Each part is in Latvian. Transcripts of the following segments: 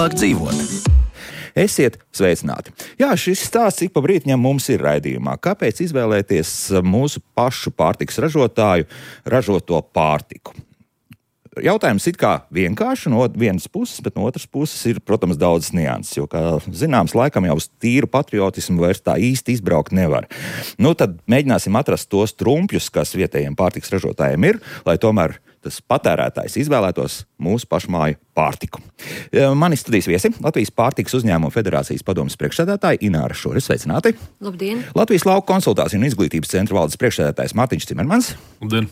labāk dzīvot. Esiet sveicināti. Jā, šis stāsts ik pa brītņam mums ir raidījumā. Kāpēc izvēlēties mūsu pašu pārtikas ražotāju ražoto pārtiku? Jautājums it kā vienkārši no vienas puses, bet no otras puses ir, protams, daudz nianses, jo, kā zināms, laikam jau uz tīru patriotismu vairs tā īsti izbraukt nevar. Nu, tad mēģināsim atrast tos trumpjus, kas vietējiem pārtikas ražotājiem ir, lai tomēr tas patērētājs izvēlētos mūsu pašmāju pārtiku. Mani studijas viesi Latvijas pārtikas uzņēmumu federācijas padomes priekšsēdētāja Ināra Šure. Sveicināti! Labdien! Latvijas lauku konsultāciju un izglītības centra valdes priekšsēdētājs Mārtiņš Cimermans. Labdien!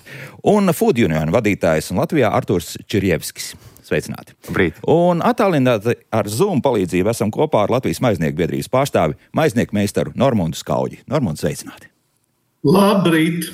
Un Food Union vadītājs un Latvijā Arturs Čirjevskis. Sveicināti! Labrīt! Un attālināti ar Zoom palīdzību esam kopā ar Latvijas maiznieku biedrības pārstāvi maiznieku meistaru Normundu Skauģi. Normundu, sveicināti! Labrīt!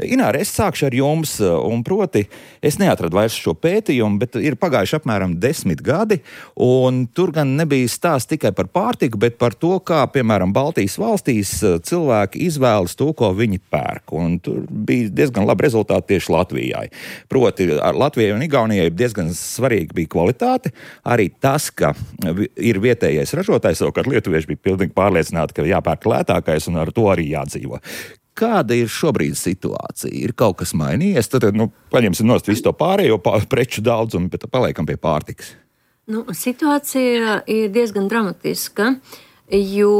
Ināra, es sākšu ar jums, un proti, es neatradu vairs šo pētījumu, bet ir pagājuši apmēram 10 gadi, un tur gan nebija stāsts tikai par pārtiku, bet par to, kā, piemēram, Baltijas valstīs cilvēki izvēlas to, ko viņi pērk, un tur bija diezgan labi rezultāti tieši Latvijai. Proti, Latvijai un Igaunijai diezgan svarīgi bija kvalitāte, arī tas, ka ir vietējais ražotājs, savukārt lietuvieši bija pilnīgi pārliecināti, ka jāpērk lētākais, un ar to arī jādzīvo. Kāda ir šobrīd situācija? Ir kaut kas mainījies? Tad, paņemsim nost visu to pārējo preču daudzumu, bet paliekam pie pārtikas. Situācija ir diezgan dramatiska, jo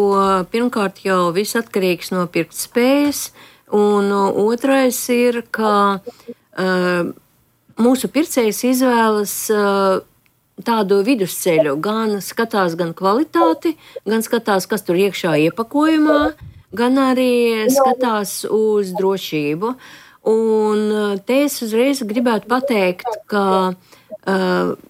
pirmkārt jau viss atkarīgs no pirktspējas, un otrais ir, ka mūsu pircējs izvēlas tādu vidusceļu, gan skatās gan kvalitāti, gan skatās, kas tur iekšā iepakojumā, gan arī skatās uz drošību. Un te es uzreiz gribētu pateikt, ka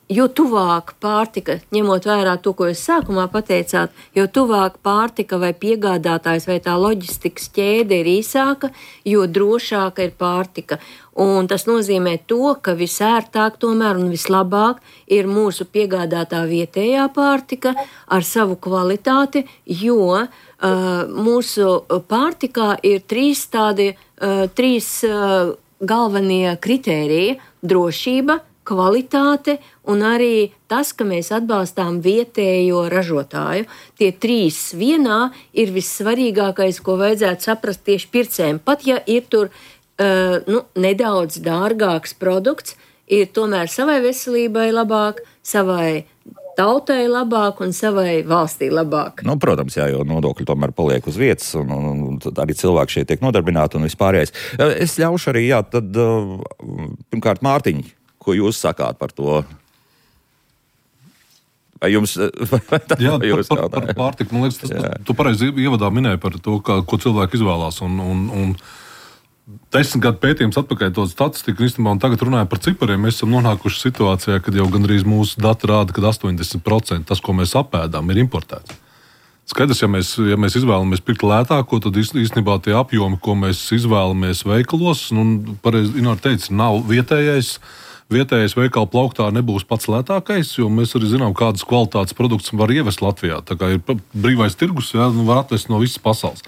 jo tuvāk pārtika, ņemot vērā to, ko jūs sākumā pateicāt, jo tuvāk pārtika vai piegādātājs vai tā loģistikas ķēde ir īsāka, jo drošāka ir pārtika. Un tas nozīmē to, ka visērtāk tomēr un vislabāk ir mūsu piegādātā vietējā pārtika ar savu kvalitāti, jo mūsu pārtikā ir trīs galvenie kritēriji - drošība, kvalitāte un arī tas, ka mēs atbalstām vietējo ražotāju. Tie trīs vienā ir vissvarīgākais, ko vajadzētu saprast tieši pircējiem. Pat ja ir tur nedaudz dārgāks produkts, ir tomēr savai veselībai labāk, savai tautai labāk un savai valstī labāk. Protams, jā, jo nodokļi tomēr paliek uz vietas, un arī cilvēki šeit tiek nodarbināti un vispārējais. Es ļaušu arī, tad pirmkārt Mārtiņ, ko jūs sakāt par to? Vai jums... par pārtiku, man liekas, tu pareizi ievadā minēji par to, ko cilvēki izvēlās, un 10 gadu pētījums atpakaļ to statistiku, un tagad runājot par cipariem, mēs esam nonākuši situācijā, kad jau gandrīz mūsu dati rāda, ka 80% tas, ko mēs apēdām, ir importēts. Skaidrs, ja mēs izvēlamies pirkt lētāko, tad īstenībā tie apjomi, ko mēs izvēlamies veikalos, pareizi Ināra teica, nav vietējais veikala plauktā nebūs pats lētākais, jo mēs arī zinām, kādas kvalitātes produkts var ievest Latvijā. Tā kā ir brīvais tirgus, var atvest no visas pasaules.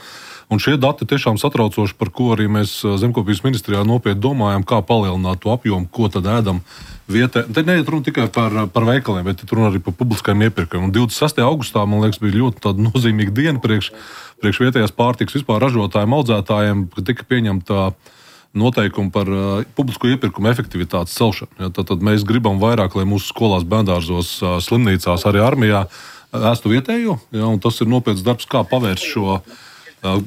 Un šie dati tiešām satraucoši, par ko arī mēs Zemkopības ministrijā nopietni domājam, kā palielināt to apjomu, ko tad ēdam vietē. Te neiet runa tikai par veikaliem, bet runa arī par publiskajiem iepirkumiem. Un 26. augustā, man liekas, bija ļoti tāda nozīmīga diena priekš vietējās pārtikas vispār ražotājiem, audzētājiem, kad tika pieņemta noteikumi par publisko iepirkumu efektivitātes celšanu. Tad mēs gribam vairāk, lai mūsu skolās, bērndārzos, slimnīcās, arī armijā ēstu vietējo. Un tas ir nopietns darbs, kā pavērst šo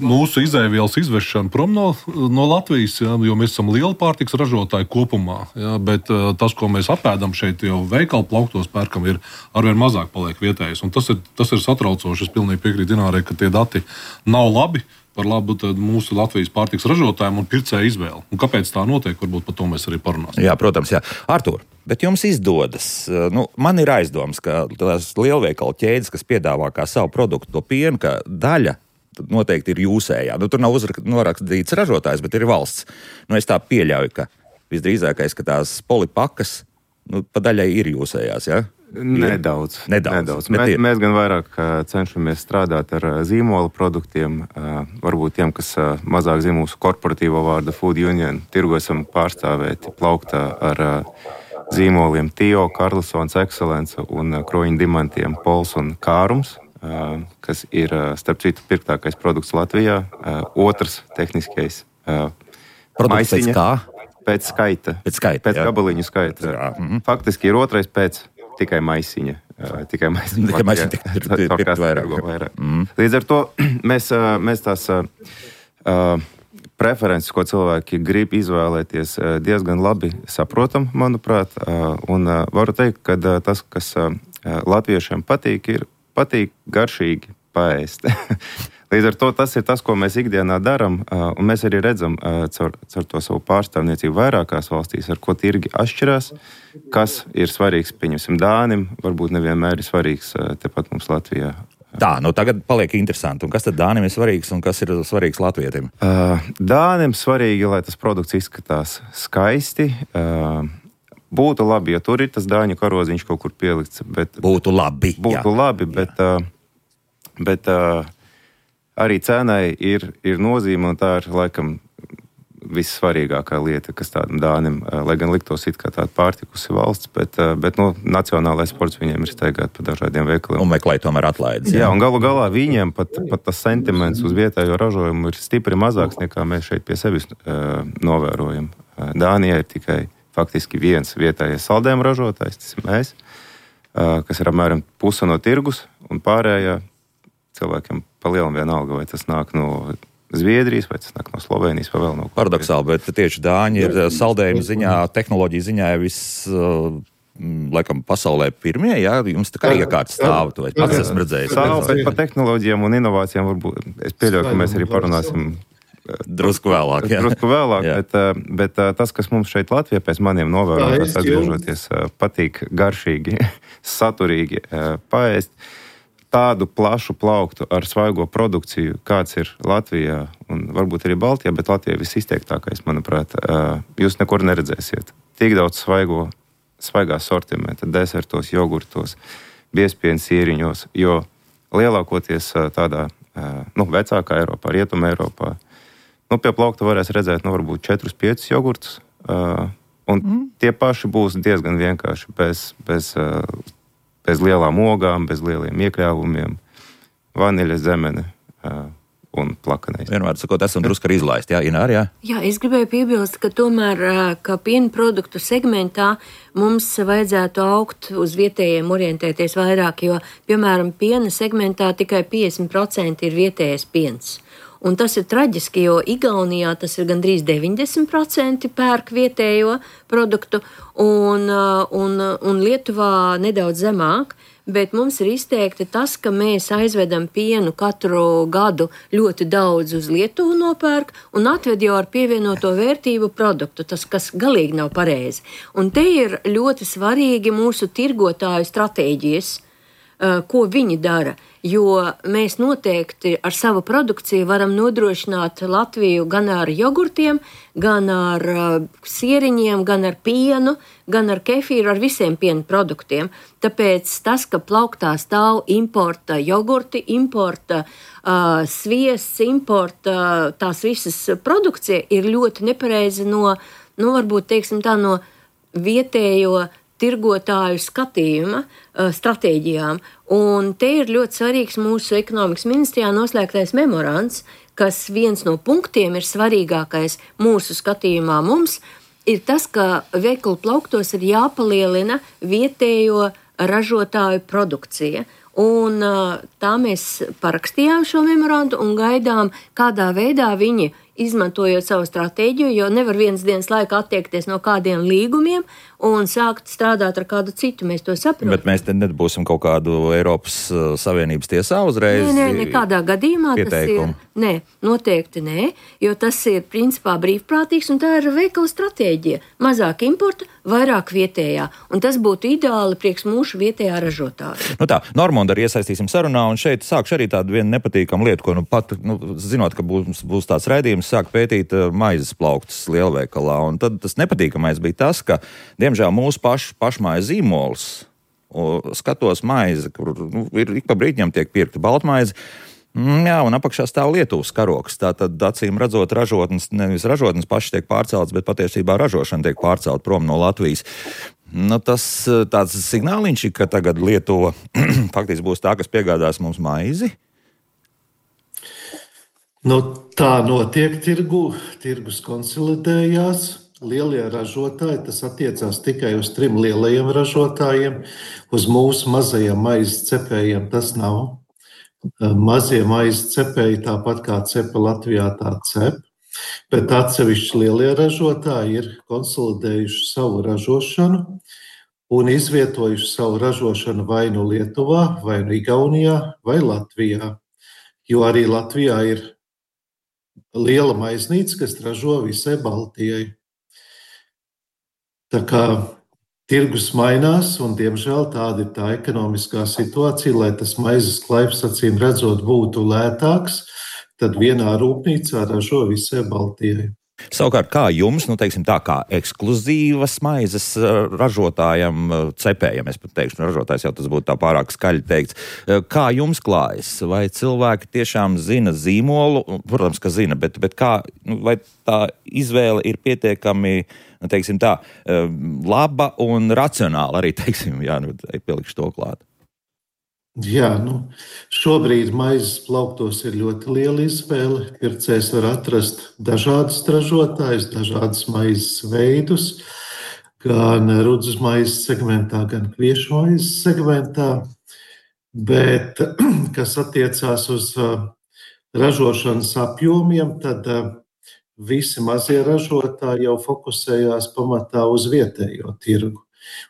mūsu izēvielas izvešanu prom no Latvijas, jo mēs esam liela pārtiks ražotāji kopumā, bet tas, ko mēs apēdam šeit, jau veikalu plauktos pērkam, ir arvien mazāk paliek vietējais. Un tas ir satraucoši. Es pilnīgi piekrītu Inārai, ka tie dati nav labi par labu mūsu Latvijas pārtiks ražotājiem un pircēju izvēli. Un kāpēc tā notiek, varbūt par to mēs arī parunāsim. Jā, protams, jā. Artur, bet jums izdodas, man ir aizdoms, ka tās lielveikalu ķēdes, kas piedāvā kā savu produktu to pienu, ka daļa noteikti ir jūsējā. Tur nav norakstīts ražotājs, bet ir valsts. Es tā pieļauju, ka visdrīzākais, ka tās polipakas pa daļai ir jūsējās, ja? Nedaudz. Mēs gan vairāk cenšamies strādāt ar zīmola produktiem, varbūt tiem, kas mazāk zina mūsu korporatīvo vārdu Food Union, tirgu esam pārstāvēti plauktā ar zīmoliem Tio, Karlsons, Excellence un kroņu dimantiem Pols un Kārums, kas ir, starp citu, pirktākais produkts Latvijā. Otrs tehniskais produkts pēc kā? Pēc skaita. Pēc gabaliņu skaita. Faktiski ir otrais pēc tikai maisiņa. Tikai maisiņa vairāk. Līdz ar to mēs tās preferences, ko cilvēki grib izvēlēties, diezgan labi saprotam, manuprāt. Un varu teikt, ka tas, kas latviešiem patīk garšīgi paēst. Līdz ar to tas ir tas, ko mēs ikdienā darām, un mēs arī redzam caur to savu pārstāvniecību vairākās valstīs, ar ko tirgi atšķirās, kas ir svarīgs, pieņemsim, Dānim, varbūt nevienmēr ir svarīgs tepat mums Latvijā. Tā, tagad paliek interesanti. Un kas tad Dānim ir svarīgs un kas ir svarīgs latvietim? Dānim svarīgi, lai tas produkts izskatās skaisti. Būtu labi, ja tur ir tas dāņu karodziņš kaut kur pielikts. Būtu labi, bet arī cenai ir nozīme, un tā ir laikam vissvarīgākā lieta, kas tādam Dānim, lai gan liktos it kā tāda pārtikusi valsts, bet nacionālais sports viņiem ir staigāt pa dažādiem veikaliem. Un meklēt tomēr atlaides. Jā, un galu galā viņiem pat tas sentiments uz vietējo ražojumu ir stipri mazāks, nekā mēs šeit pie sevis novērojam. Dānijā ir tikai faktiski viens vietējais saldējumu ražotājs, tas ir mēs, kas ir apmēram puse no tirgus, un pārējā cilvēkiem pa lielam vienalga, vai tas nāk no Zviedrijas, vai tas nāk no Slovenijas, vai vēl no kur. Paradoxāli, bet tieši Dāņi ir saldējuma ziņā, tehnoloģija ziņā laikam pasaulē pirmie, jā? Jums tā kā iekārts stāv, to es pats esmu redzējis. Stāv, bet par tehnoloģijām un inovācijām varbūt, es pieļauju, ka mēs arī parunāsim drusku vēlāk, bet tas, kas mums šeit Latvijā pēc maniem novērotās atgriežoties, patīk garšīgi, saturīgi paēst. Tādu plašu plauktu ar svaigo produkciju, kāds ir Latvijā un varbūt arī Baltijā, bet Latvijā visizteiktākais, manuprāt, jūs nekur neredzēsiet. Tik daudz svaigā sortimenta, desertos, jogurtos, biezpienu sieriņos, jo lielākoties tādā, vecākā Eiropā, Rietuma Eiropā, pie plaukta varēs redzēt, varbūt 4-5 jogurtus, un tie paši būs diezgan vienkārši, bez lielām ogām, bez lieliem iekļāvumiem, vaniļas, zemene un plakanais. Vienmēr sakot, esam drusku arī izlaisti, jā, Inār, jā? Jā, es gribēju piebilst, ka tomēr, ka piena produktu segmentā mums vajadzētu augt uz vietējiem orientēties vairāk, jo, piemēram, piena segmentā tikai 50% ir vietējais piens. Un tas ir traģiski, jo Igaunijā tas ir gandrīz 90% pērk vietējo produktu, un Lietuvā nedaudz zemāk, bet mums ir izteikti tas, ka mēs aizvedam pienu katru gadu ļoti daudz uz Lietuvu nopērk un atved jau ar pievienoto vērtību produktu, tas, kas galīgi nav pareizi. Un te ir ļoti svarīgi mūsu tirgotāju stratēģijas, ko viņi dara, jo mēs noteikti ar savu produkciju varam nodrošināt Latviju gan ar jogurtiem, gan ar sieriņiem, gan ar pienu, gan ar kefīru, ar visiem piena produktiem. Tāpēc tas, ka plauktā stāv importa jogurti, importa sviests, importa tās visas produkcija ir ļoti nepareizi no varbūt, teiksim tā, no vietējo tirgotāju skatījuma stratēģijām. Un te ir ļoti svarīgs mūsu ekonomikas ministrijā noslēgtais memorands, kas viens no punktiem ir svarīgākais mūsu skatījumā mums, ir tas, ka veikalu plauktos ir jāpalielina vietējo ražotāju produkcija. Un tā mēs parakstījām šo memorandu un gaidām, kādā veidā viņi izmantojot savu stratēģiju, jo nevar vienas dienas laikā attiekties no kādiem līgumiem un sākt strādāt ar kādu citu. Mēs to saprotam. Bet mēs te nebūsim kaut kādu Eiropas Savienības tiesā uzreiz? Nē, nekādā gadījumā pieteikumu. Tas ir. Nē, noteikti nē, jo tas ir principā brīvprātīgs un tā ir veikala stratēģija. Mazāk importa, vairāk vietējā. Un tas būtu ideāli priekš mūsu vietējā ražotāja. Tā, Normonda arī iesaistīsim sarunā, un šeit sākšu arī tādu vienu nepatīkamu lietu, ko pat, zinot, ka būs tāds raidījums, sāk pētīt maizes plauktus lielveikalā. Un tad tas nepatīkamais bija tas, ka, diemžēl, mūsu pašmājas zīmols, skatos maizi, kur ir ik pa brīdņam tiek pirkta baltmaize, jā, un apakšā stāv Lietuvas karoks. Tātad, acīm redzot, nevis ražotnes pašas tiek pārceltas, bet patiesībā ražošana tiek pārcelta prom no Latvijas. Tas tāds signāliņš, ka tagad Lietuva faktiski būs tā, kas piegādās mums maizi. Tā notiek tirgus konsolidējās. Lielie ražotāji, tas attiecās tikai uz 3 lielajiem ražotājiem, uz mūsu mazajiem maizes cepējiem tas nav. Mazie maizes cepēji, tāpat kā cepa Latvijā, tā cep. Bet atsevišķi lielie ražotāji ir konsolidējuši savu ražošanu un izvietojuši savu ražošanu vai nu Lietuvā, vai nu Igaunijā, vai Latvijā. Jo arī Latvijā ir liela maiznīca, kas ražo visai Baltijai. Tā kā tirgus mainās, un diemžēl tāda ir tā ekonomiskā situācija, lai tas maizes klaips, acīm redzot, būtu lētāks, tad vienā rūpnīcā ražo visai Baltijai. Savukārt, kā jums, teiksim tā, kā ekskluzīvas maizes ražotājam, cepējam, es pat teikšu, ražotājs jau tas būtu tā pārāk skaļi teikts, kā jums klājas? Vai cilvēki tiešām zina zīmolu? Protams, ka zina, bet kā, vai tā izvēle ir pietiekami, teiksim tā, laba un racionāla arī, teiksim, pielikšu to klāt? Jā, šobrīd maizes plauktos ir ļoti liela izvēle. Pircējs var atrast dažādus ražotājus, dažādus maizes veidus, gan rudzes maizes segmentā, gan kviešu maizes segmentā. Bet, kas attiecās uz ražošanas apjomiem, tad visi mazie ražotāji jau fokusējās pamatā uz vietējo tirgu.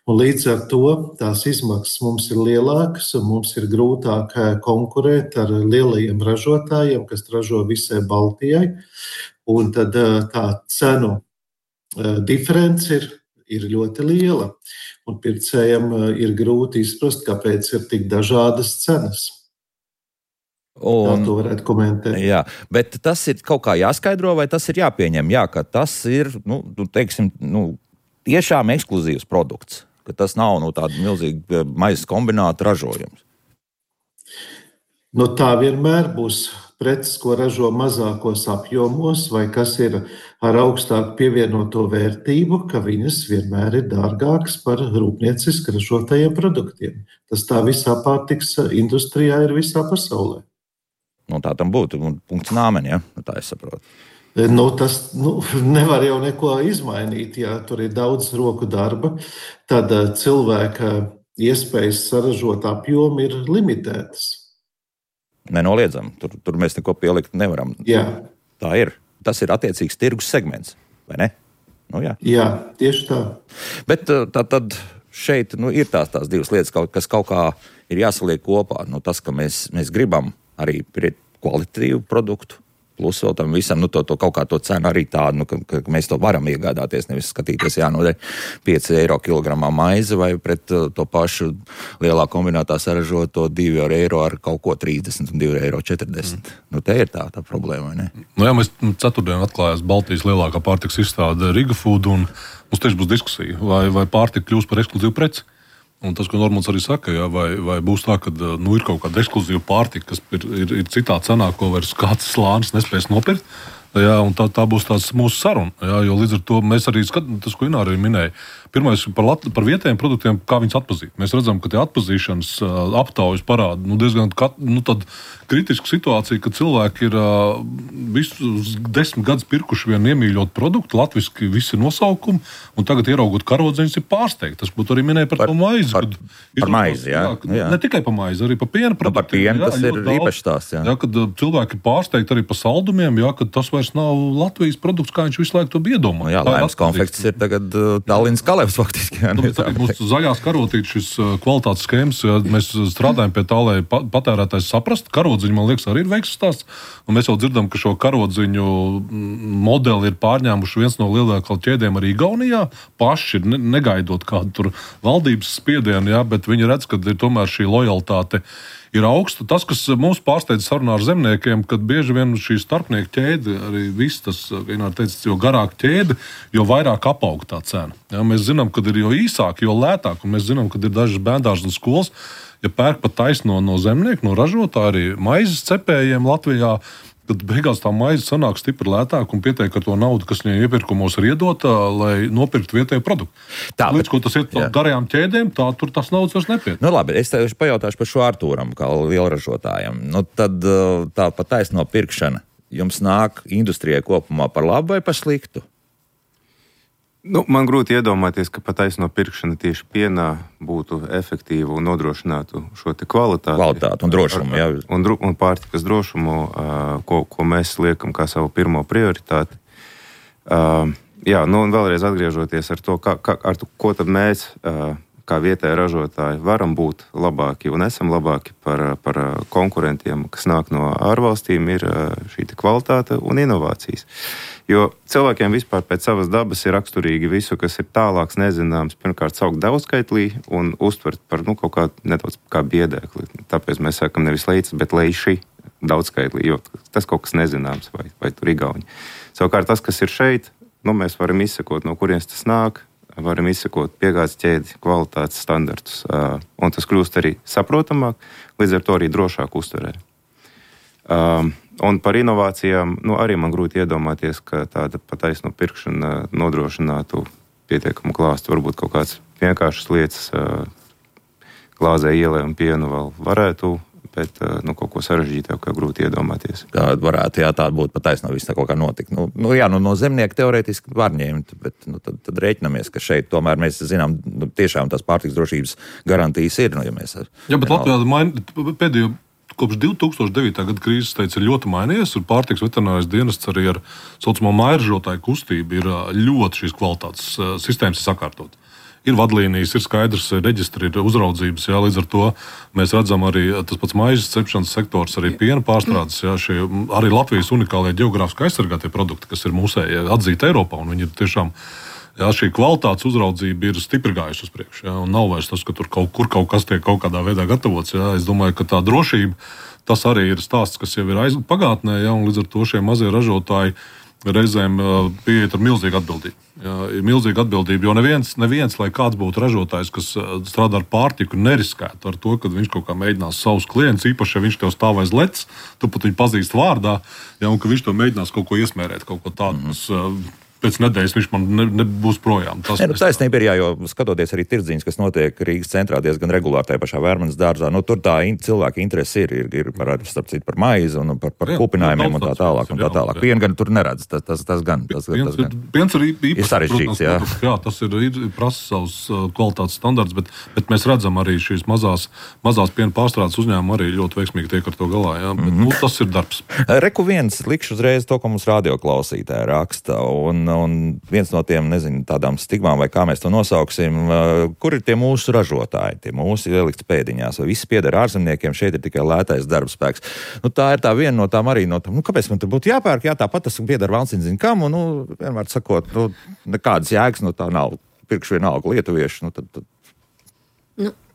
Un līdz ar to tās izmaksas mums ir lielākas, un mums ir grūtāk konkurēt ar lielajiem ražotājiem, kas ražo visai Baltijai. Un tad tā cenu diference ir ļoti liela. Un pircējiem ir grūti izprast, kāpēc ir tik dažādas cenas. Tā to varētu komentēt. Jā, bet tas ir kaut kā jāskaidro, vai tas ir jāpieņem? Jā, ka tas ir, tiešām ekskluzīvs produkts, ka tas nav tāda milzīga maizes kombināta ražojums. Tā vienmēr būs preces, ko ražo mazākos apjomos, vai kas ir ar augstāku pievienoto vērtību, ka viņas vienmēr ir dārgākas par rūpnieciski ražotajiem produktiem. Tas tā visā pārtiks industrijā ir visā pasaulē. Tā tam būtu punkts nāmeni, ja? Tā es saprotu. Tas nevar jau neko izmainīt, ja tur ir daudz roku darba, tad cilvēka iespējas saražot apjomu ir limitētas. Nenoliedzam, tur mēs neko pielikt nevaram. Jā. Tā ir. Tas ir attiecīgs tirgus segments, vai ne? Jā, tieši tā. Bet tad šeit ir tās divas lietas, kas kaut kā ir jāsaliek kopā. Tas, ka mēs gribam arī kvalitatīvu produktu, plus vēl tam visam, to kaut kā to cenu arī tādu, ka mēs to varam iegādāties, nevis skatīties, 5 eiro kilogramā maize vai pret to pašu lielā kombinātā saražoto 2 eiro ar kaut ko 30 un 2,40 eiro. Te ir tā problēma, vai ne? Mēs ceturtdien atklājās Baltijas lielākā pārtikas izstāde Riga Food, un mums tieši būs diskusija, vai pārtika kļūs par ekskluzīvu preci. Un tas, ko Normons arī saka, vai būs tā, ka ir kaut kāda ekskluzīva pārtika, kas ir citā cenā, ko vairs kāds slānis nespēs nopirkt. Un tā būs tāds mūsu saruna. Jo līdz ar to mēs arī skatām, tas, ko Ināra arī minēja. Pirmais par vietējiem produktiem, kā viņus atpazīt. Mēs redzam, ka tie atpazīšanas aptaujas parāda diezgan tādu kritisku situāciju, ka cilvēki ir visus 10 gadus pirkuši vienu iemīļotu produktu, latviski visi nosaukumi, un tagad ieraugot karodziņus ir pārsteigti. Tas būtu arī minēja par to maizi. Par maizi, jā. Ne tikai par maizi, arī par piena produktiem. Par pienu tas ir īpašs tās, jā. Kad cilvēki ir pārsteigti arī par saldumiem, kad tas vairs nav Latvijas produkts, kā viņš visu laiku to iedomā. Laimes konfekts ir tagad Tallinas Kalevs faktiski. Mūsu zaļās karotītes, šis kvalitātes schēmas, mēs strādājam pie tā, lai patērētājs saprastu. Karodziņi, man liekas, arī ir veiksmes stāsts. Un mēs jau dzirdam, ka šo karodziņu modeli ir pārņēmuši viens no lielākajiem ķēdēm arī Igaunijā. Paši negaidot kādu tur valdības spiedienu, bet viņi redz, ka ir tomēr šī lojalitāte ir augsta. Tas, kas mums pārsteidz sarunā ar zemniekiem, kad bieži vien šī starpnieku ķēde, arī viss tas, Ināra teica, jo garāk ķēde, jo vairāk apaug tā cena. Mēs zinām, kad ir jo īsāk, jo lētāk, un mēs zinām, kad ir dažas bērndārzas un skolas, ja pērk pat taisno no zemnieku, no ražotāja, arī maizes cepējiem Latvijā, kad beigās tā maize sanāk stipri lētāk un pietiek ar to naudu, kas viņai iepirkumos ir iedota, lai nopirktu vietējo produktu. Līdz ko tas iet garajām ķēdēm, tur tas naudas vairs nepietiek. Nu labi, es tev pajautāšu par šo Artūram, kā lielražotājam. Nu tad tā pa taisno pirkšana jums nāk industrijai kopumā par labu vai par sliktu? Nu, man grūti iedomāties, ka pa taisno pirkšana tieši pienā būtu efektīva un nodrošinātu šo te kvalitāti. Kvalitāti un drošumu, jā. Un pārtikas drošumu, ko mēs liekam kā savu pirmo prioritāti. Jā, nu un vēlreiz atgriežoties ar to, ko tad mēs, kā vietēji ražotāji, varam būt labāki un esam labāki par konkurentiem, kas nāk no ārvalstīm, ir šī kvalitāte un inovācijas. Jo cilvēkiem vispār pēc savas dabas ir raksturīgi visu, kas ir tālāks, nezināms, pirmkārt saukt daudzskaitlī un uztvert par kaut kā nedaudz kā biedēkli. Tāpēc mēs sakam nevis leicis, bet leiši daudzskaitlī, jo tas kaut kas nezināms vai tur igauņi. Savukārt tas, kas ir šeit, mēs varam izsekot, no kurienes tas nāk, varam izsekot piegādes ķēdi, kvalitātes standartus, un tas kļūst arī saprotamāk, līdz ar to arī drošāk uztverē. Un par inovācijām, arī man grūti iedomāties, ka tāda pataisno pirkšana nodrošinātu pietiekamu klāstu. Varbūt kaut kāds vienkāršas lietas glāzē ielē un pienu vēl varētu, bet kaut ko sarežģītāku grūti iedomāties. Tā varētu, tāda būtu pataisno viss tā kaut kā notika. No zemnieka teorētiski var ņemt, bet tad rēķinamies, ka šeit tomēr mēs zinām, tiešām tās pārtikas drošības garantijas ir. Bet Latvijā pēdējo kopš 2009. Gada krīzes ir ļoti mainījies, un pārtikas veterinārais dienests arī ar saucamo mairažotāju kustību ir ļoti šīs kvalitātes sistēmas sakārtot. Ir vadlīnijas, ir skaidrs reģistri, ir uzraudzības, līdz ar to mēs redzam arī tas pats maizes cepšanas sektors, arī piena pārstrādes, šie arī Latvijas unikālie geogrāfiski aizsargātie produkti, kas ir mūsēji atzīti Eiropā, un viņi ir tiešām, šī kvalitātes uzraudzība ir stipri gājusi uz priekšu, un nav vairs tas, ka tur kaut kas tiek kaut kādā veidā gatavots, Es domāju, ka tā drošība, tas arī ir stāsts, kas jau ir pagātnē, un līdz ar to šie mazie ražotāji reizēm pieiet ar milzīgu atbildību. Ir milzīga atbildība, jo neviens, lai kāds būtu ražotājs, kas strādā ar pārtiku, neriskētu ar to, ka viņš kaut kā mēģinās savus klientus, īpaši, ja viņš tev stāv aiz letes, tu pat viņu pazīst vārdā, un ka viņš tev mēģinās kaut ko iesmērēt, kaut ko tādu, kas pēc nedēļas viņš man nebūs projām. Taisnība ir, jo skatoties arī tirdziņas, kas notiek Rīgas centrā diezgan regulāri tajā pašā Vērmanas dārzā, tur tā cilvēka interese ir starp citu par maizi un par kupinājumiem un tā tālāk. Pienu gan tur neredz, tas gan. Piens ir īpaši sarežģīts, jā, tas ir prasa savus kvalitātes standarts, bet mēs redzam arī šīs mazās piena pārstrādes uzņēmumi arī ļoti veiksmīgi tiek ar to galā, bet tas ir darbs. Reku viens, likšu uzreiz to, ko mums radioklausītāji raksta, un viens no tiem, tādām stigmām, vai kā mēs to nosauksim, kur ir tie mūsu ražotāji, tie mūsu ielikts pēdiņās, vai viss pieder ārzemniekiem, šeit ir tikai lētais darbspēks. Tā ir tā viena no tām arī no tām, kāpēc man tur būtu jāpērk, tāpat tas pieder valsts zin kam, un, vienmēr sakot, nekādas jēgas no tā nav, pirkšu vienalga lietuvieši, tad.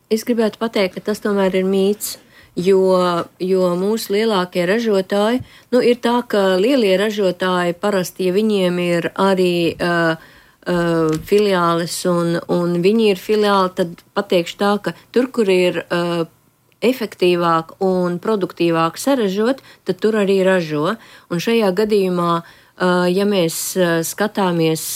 Es gribētu pateikt, ka tas tomēr ir mīts. Jo mūsu lielākie ražotāji, ir tā, ka lielie ražotāji parasti, ja viņiem ir arī filiāles un viņi ir filiāli, tad pateikšu tā, ka tur, kur ir efektīvāk un produktīvāk saražot, tad tur arī ražo. Un šajā gadījumā, ja mēs skatāmies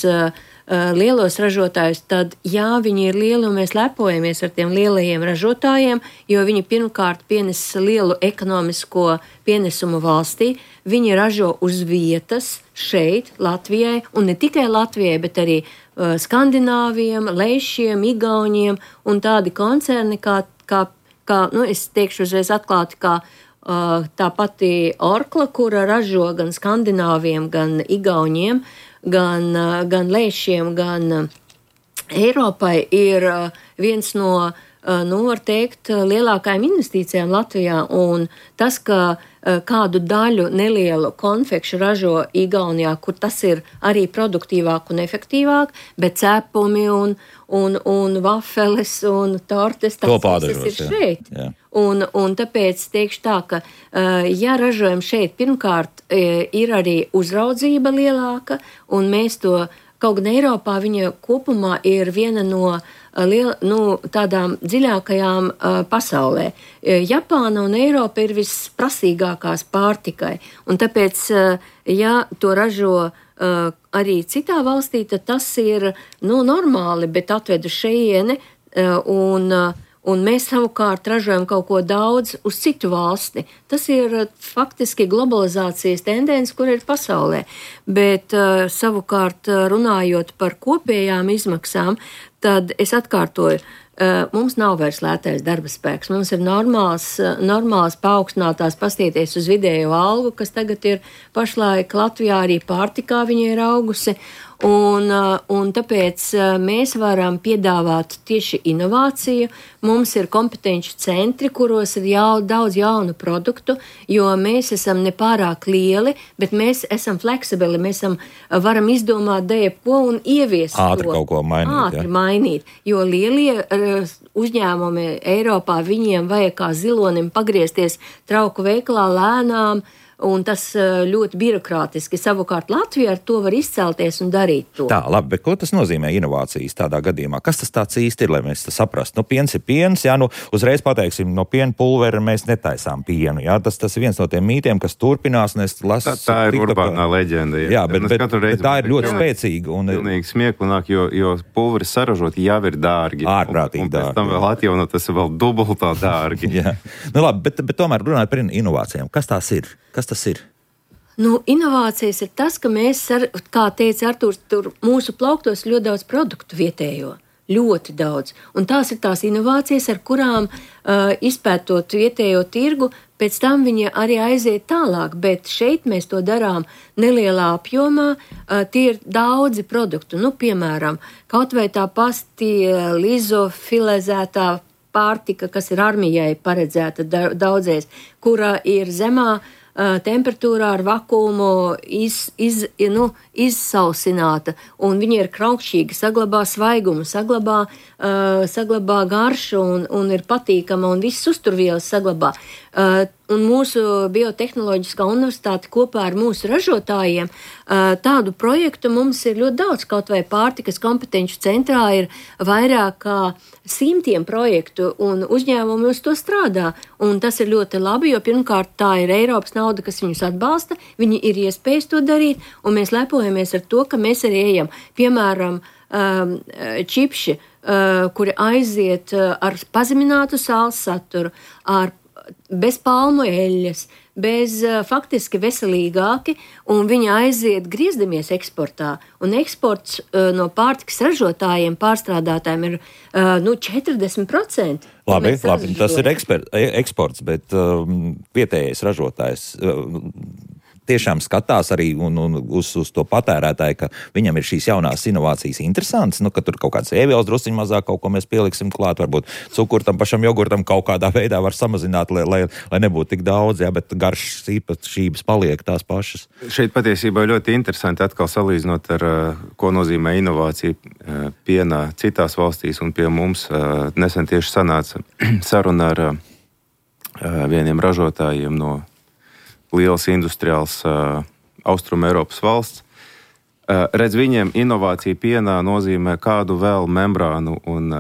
lielos ražotājus, tad viņi ir lieli un mēs lepojamies ar tiem lielajiem ražotājiem, jo viņi pirmkārt pienes lielu ekonomisko pienesumu valstī. Viņi ražo uz vietas šeit, Latvijai, un ne tikai Latvijai, bet arī Skandināviem, Leišiem, Igauņiem un tādi koncerni, kā es teikšu uzreiz atklāti, kā tā pati Orkla, kura ražo gan Skandināviem, gan Igauņiem, gan Leišiem, gan Eiropai, ir viens no, var teikt, lielākajām investīcijām Latvijā. Un tas, ka kādu daļu nelielu konfekšu ražo Igaunijā, kur tas ir arī produktīvāk un efektīvāk, bet cepumi un vafeles un tortes, tas ir šeit. Jā. Un tāpēc teikšu tā, ka ja ražojam šeit, pirmkārt ir arī uzraudzība lielāka, un mēs to kaut gan Eiropā viņa kopumā ir viena no tādām dziļākajām pasaulē. Japāna un Eiropa ir visprasīgākās pārtikai, un tāpēc, ja to ražo arī citā valstī, tad tas ir normāli, bet atved uz šejieni, un mēs savukārt ražojam kaut ko daudz uz citu valsti. Tas ir faktiski globalizācijas tendence, kur ir pasaulē. Bet savukārt runājot par kopējām izmaksām, tad es atkārtoju, mums nav vairs lētais darba spēks. Mums ir normāls paaugstinātās, paskatieties uz vidējo algu, kas tagad ir pašlaik Latvijā, arī pārtikā viņa ir augusi. Un tāpēc mēs varam piedāvāt tieši inovāciju. Mums ir kompetenci centri, kuros ir daudz jaunu produktu, jo mēs esam nepārāk lieli, bet mēs esam fleksibili, mēs varam izdomāt jebko un ieviest ātri to. Kaut ko mainīt. Ātri mainīt, jo lielie uzņēmumi Eiropā, viņiem vajag kā zilonim pagriezties trauku veikalā lēnām, un tas ļoti birokrātiski. Savukārt Latvija ar to var izcelties un darīt to. Tā, labi, bet ko tas nozīmē inovācijas tādā gadījumā? Kas tas tāds īsti ir, lai mēs tas saprastu? Piens ir piens, uzreiz pateiksim, no piena pulvera mēs netaisām pienu, Tas ir viens no tiem mītiem, kas turpinās, un es lasu... Tā ir urbānā leģenda. Jā, bet tā ir ļoti spēcīga. Pilnīgi smieklunāk, jo pulveris saražot jau ir dārgi. Ārprātīgi dārgi. Un pēc tam vēl atjaunot, tas ir vēl dubultā dārgi. Jā. Labi, bet tomēr runājot par inovācijām. Kas tās ir? Kas tas ir? Inovācijas ir tas, ka mēs, kā teica Artūrs, tur mūsu plauktos ļoti daudz produktu vietējo. Ļoti daudz. Un tās ir tās inovācijas, ar kurām izpētot vietējo tirgu, pēc tam viņi arī aiziet tālāk. Bet šeit mēs to darām nelielā apjomā. Tie ir daudzi produktu. Piemēram, kaut vai tā pasti lizofilizētā pārtika, kas ir armijai paredzēta daudzēs, kura ir zemā temperatūrā ar vakuumu izsausināta, un viņa ir kraukšķīga, saglabā svaigumu, saglabā garšu un ir patīkama, un viss uzturvielas saglabā. Un mūsu biotehnoloģiskā universitāte kopā ar mūsu ražotājiem tādu projektu mums ir ļoti daudz. Kaut vai pārtikas kompetenci centrā ir vairāk kā 100 projektu, un uzņēmumi uz to strādā. Un tas ir ļoti labi, jo pirmkārt tā ir Eiropas nauda, kas viņus atbalsta, viņi ir iespējas to darīt, un mēs lepojamies ar to, ka mēs arī ejam, piemēram, čipši, kuri aiziet ar pazeminātu sāls saturu, bez palmu eļļas, bez faktiski veselīgāki, un viņi aiziet griezdamies eksportā. Un eksports no pārtikas ražotājiem, pārstrādātājiem ir 40%. Labi, tas ir eksports, bet vietējais ražotājs tiešām skatās arī uz to patērētāju, ka viņam ir šīs jaunās inovācijas interesantas, ka tur kaut kāds ēvielas drusciņ mazāk kaut ko mēs pieliksim klāt, varbūt cukuru tam pašam jogurtam kaut kādā veidā var samazināt, lai nebūtu tik daudz, bet garšas īpašības paliek tās pašas. Šeit patiesībā ļoti interesanti atkal salīdzinot ar, ko nozīmē inovācija pienā citās valstīs un pie mums. Nesen tieši sanāca saruna ar vieniem ražotājiem no liels industriāls Austrum Eiropas valsts. Redz, viņiem inovācija pienā nozīmē kādu vēl membrānu un,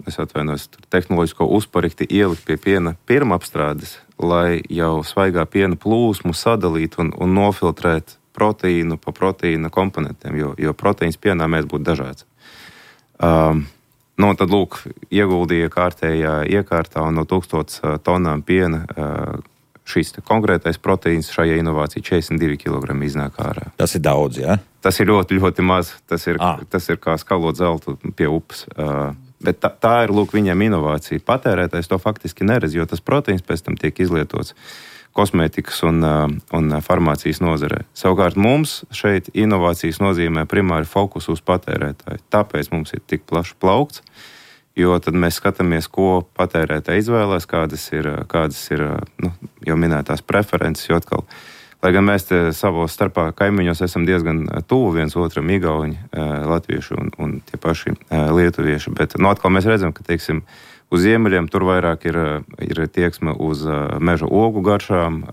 es atvainojos, tehnoloģisko uzparikti ielikt pie piena pirmapstrādes, lai jau svaigā piena plūsmu sadalīt un nofiltrēt proteīnu pa proteīna komponentiem, jo proteīns pienā mēs būtu dažāds. Tad, lūk, ieguldīja kārtējā iekārtā un no 1000 tonām piena šis konkrētais proteīns šajā inovācijā 42 kg iznāk ārā. Tas ir daudz, jā? Tas ir ļoti, ļoti maz. Tas ir kā skalot zeltu pie upes. Bet tā ir, lūk, viņiem inovācija. Patērētājs to faktiski neredz, jo tas proteīns pēc tam tiek izlietots kosmētikas un farmācijas nozarē. Savukārt mums šeit inovācijas nozīmē primāri fokus uz patērētāju. Tāpēc mums ir tik plašs plaukts, jo tad mēs skatāmies, ko patērētāji izvēlēs, kādas ir jau minētās preferences, jo atkal, lai gan mēs te savos starpā kaimiņos esam diezgan tuvu viens otram, igauņi, latvieši un tie paši lietuvieši, bet atkal mēs redzam, ka, teiksim, uz ziemeļiem tur vairāk ir tieksme uz meža ogu garšām,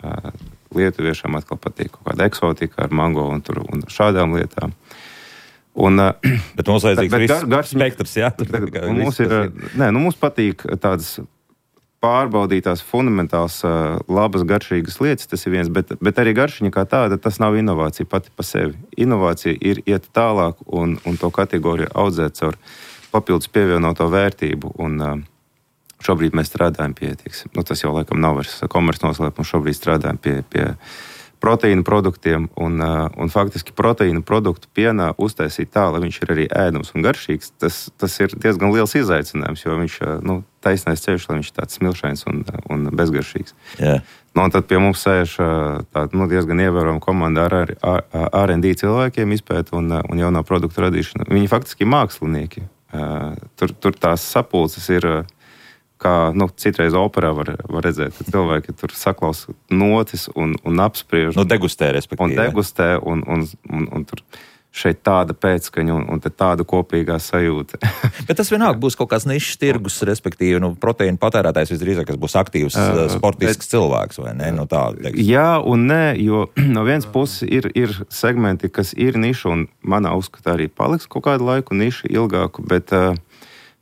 lietuviešiem atkal patīk kaut kāda eksotika ar mango un šādām lietām. Bet mums vajadzīgs viss spektrs, jā? Mums patīk tādas pārbaudītās fundamentāls labas garšīgas lietas, tas ir viens, bet arī garšiņa kā tāda, tas nav inovācija pati pa sevi. Inovācija ir iet tālāk un to kategoriju audzēt caur papildus pievienoto vērtību. Un šobrīd mēs strādājam pie, tas jau laikam nav vairs komerces noslēpums, šobrīd strādājam pie proteīnu produktiem un faktiski proteīnu produktu pienā uztaisīt tā, lai viņš ir arī ēdams un garšīgs. Tas ir diezgan liels izaicinājums, jo viņš taisnais ceļš, lai viņš ir tāds smilšains un bezgaršīgs. Yeah. Un tad pie mums sēž tāda diezgan ievērojama komanda ar R&D cilvēkiem izpēt un jaunā produktu radīšana. Viņi faktiski mākslinieki. Tur tās sapulces ir kā citreiz operā var redzēt, ka cilvēki tur saklausa notis un apspriež. Degustē, respektīvi. Un degustē, un tur šeit tāda pēcskaņa un te tāda kopīgā sajūta. Bet tas vienalga būs kaut kāds nišas tirgus, respektīvi, proteīna patērētājs visdrīzāk, kas būs aktīvs, sportisks cilvēks, vai ne? Jā un nē, jo no vienas puses ir segmenti, kas ir niša, un manā uzskatā arī paliks kaut kādu laiku niša ilgāku, bet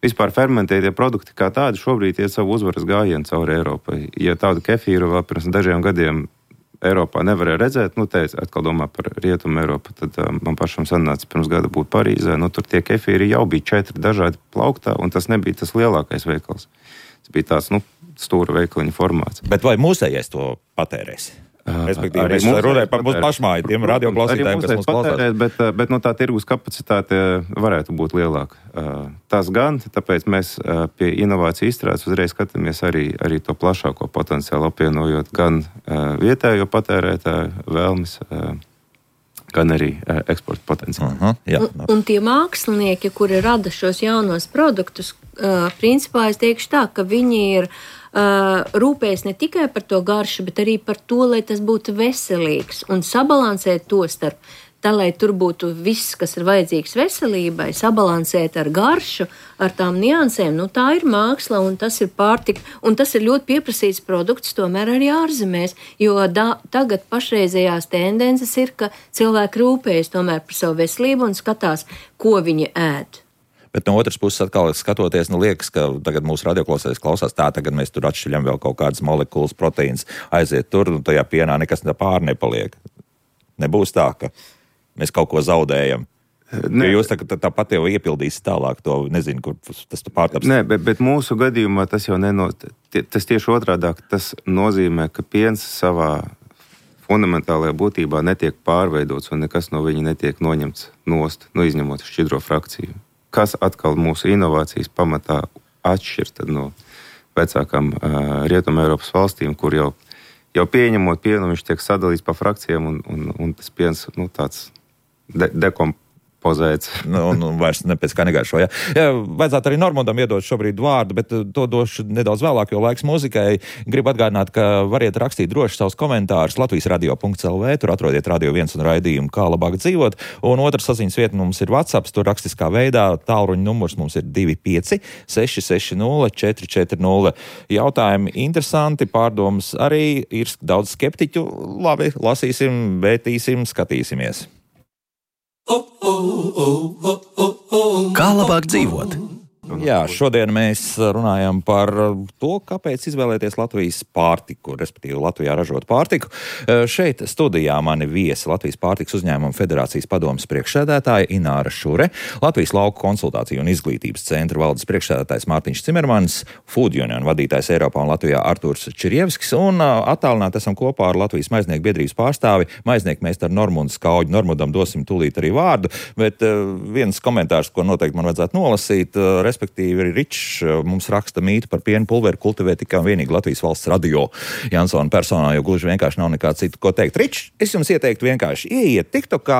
vispār fermentētie produkti kā tādi šobrīd iet savu uzvaras gājienu cauri Eiropai. Ja tādu kefīru vēl pirms dažiem gadiem Eiropā nevarēja redzēt, te atkal domā par Rietumu Eiropu, tad man pašam sanāca pirms gada būt Parīzē. Tur tie kefīri jau bija 4 dažādi plauktā, un tas nebija tas lielākais veikals. Tas bija tāds, stūra veikaliņa formāts. Bet vai mūsējais to patērēs? Respektīvi, mēs runājam par mūsu pašmāju, tiem radioklausītājiem, kas mūs klausās. Bet tā tirgus kapacitāte varētu būt lielāka. Tas gan, tāpēc mēs pie inovāciju izstrādes uzreiz skatāmies arī to plašāko potenciālu apvienojot gan vietējo patērētāju vēlmes, gan arī eksporta potenciālu. Un tie mākslinieki, kuri rada šos jaunos produktus, principā es teikšu tā, ka viņi ir rūpējas ne tikai par to garšu, bet arī par to, lai tas būtu veselīgs un sabalansēt to starp tā, lai tur būtu viss, kas ir vajadzīgs veselībai, sabalansēt ar garšu, ar tām niansēm. Tā ir māksla un tas ir pārtika, un tas ir ļoti pieprasīts produkts tomēr arī ārzemēs, jo tagad pašreizējās tendences ir, ka cilvēki rūpējas tomēr par savu veselību un skatās, ko viņi ēd. Bet no otras puses, atkal skatoties, liekas, ka tagad mūsu radioklausētājs klausās tā, tagad mēs tur atšķiļam vēl kaut kādas molekulas, proteīnas, aiziet tur, un tajā pienā nekas pār nepaliek. Nebūs tā, ka mēs kaut ko zaudējam. Jo jūs tāpat jau iepildīsiet tālāk to, nezinu, kur tas pārtaps. Nē, bet mūsu gadījumā tas jau tas tieši otrādāk, tas nozīmē, ka piens savā fundamentālajā būtībā netiek pārveidots un nekas no viņa netiek noņemts nost, izņemot šķidro frakciju. Kas atkal mūsu inovācijas pamatā atšķir no vecākām Rietuma Eiropas valstīm, kur jau pieņemot pienu, viņš tiek sadalīts pa frakcijām un tas piens tāds dekompozēts. Vairs nepēc kā negaršo. Jā, vajadzētu arī Normundam iedot šobrīd vārdu, bet to došu nedaudz vēlāk, jo laiks muzikai. Gribu atgādināt, ka variet rakstīt droši savus komentārus latvijasradio.lv, tur atrodiet Radio 1 un raidījumu Kā labāk dzīvot, un otrs saziņas vieta mums ir WhatsApp, tur rakstiskā veidā, tālruņa numurs mums ir 25 660 440. Jautājumi interesanti, pārdomas arī, ir daudz skeptiķu. Labi, lasīsim, vētīsim, skatīsimies. Kā labāk dzīvot? Jā, šodien mēs runājam par to, kāpēc izvēlēties Latvijas pārtiku, respektīvi Latvijā ražot pārtiku. Šeit studijā mani viesi Latvijas pārtikas uzņēmuma federācijas padomes priekšsēdētāja Ināra Šure, Latvijas lauku konsultāciju un izglītības centra valdes priekšsēdētājs Mārtiņš Cimermanis, Food Union vadītājs Eiropā un Latvijā Artūrs Čirjevskis un attālināti esam kopā ar Latvijas maiznieku biedrības pārstāvi, maiznieku meistaru Normundu Skauģu. Normundam dosim tūlīt arī vārdu, bet viens komentārs, ko noteikti man vajadzētu nolasīt, respektīvi Ričs mums raksta mītu par pienu pulveri kultivē tikai un vienīgi Latvijas valsts radio Jansona personā, jo gluži vienkārši nav nekā citu, ko teikt. Ričs, es jums ieteiktu vienkārši ieiet TikTokā,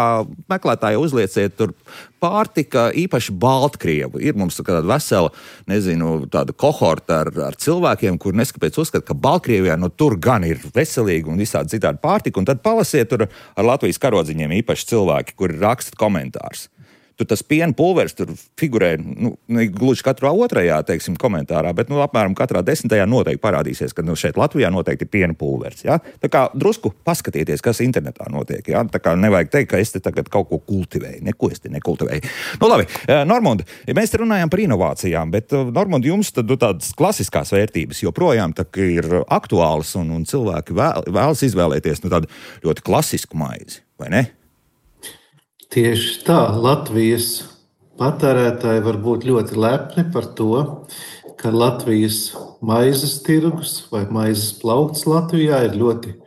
meklētāji uzlieciet tur pārtika, īpaši Baltkrievu. Ir mums tāda vesela, tāda kohorta ar cilvēkiem, kur neskapēc uzskata, ka Baltkrievijā tur gan ir veselīgi un visādi citādi pārtika, un tad palasiet tur ar Latvijas karodziņiem īpaši cilvēki, kuri raksta komentārus. tur tas piena pulveris tur figurē, gluži katrā otrajā, teiksim, komentārā, bet, apmēram katrā 10. noteikti parādīsies, ka, šeit Latvijā noteikti ir piena pulveris, ja? Tā kā drusku paskatieties, kas internetā notiek, ja? Tā kā nevajag teikt, ka es te tagad kaut ko kultivēju, neko es te nekultivēju. Labi, Normund, mēs te runājam par inovācijām, bet, Normund, jums tad tādas klasiskās vērtības joprojām tā ir aktuālas un cilvēki vēlas izvēlēties tādu ļoti klasisku maizi, vai ne? Tieši tā, Latvijas patērētāji var būt ļoti lepni par to, ka Latvijas maizes tirgus vai maizes plaukts Latvijā ir ļoti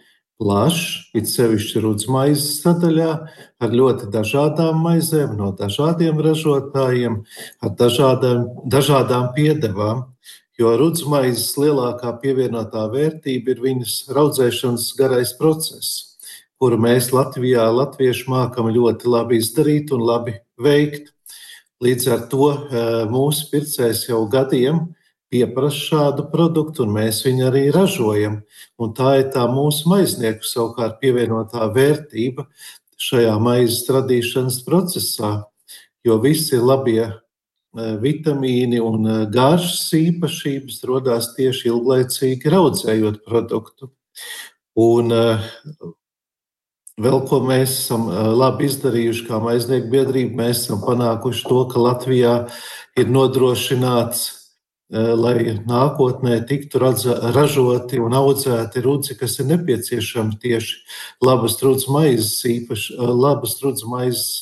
plašs, it sevišķi rudzmaizes sadaļā, ar ļoti dažādām maizēm, no dažādiem ražotājiem, ar dažādām piedevām, jo rudzmaizes lielākā pievienotā vērtība ir viņas raudzēšanas garais process, kuru mēs Latvijā, latvieši mākam ļoti labi izdarīt un labi veikt. Līdz ar to mūsu pircējs jau gadiem pieprasa šādu produktu, un mēs viņu arī ražojam. Un tā ir tā mūsu maiznieku savukārt pievienotā vērtība šajā maizes radīšanas procesā, jo visi labie vitamīni un garšas īpašības rodās tieši ilglaicīgi raudzējot produktu. Un vēl ko mēs esam labi izdarījuši kā maiznieku biedrība, mēs esam panākuši to, ka Latvijā ir nodrošināts, lai nākotnē tiktu ražoti un audzēti rudzi, kas ir nepieciešami tieši labas rudzu maizes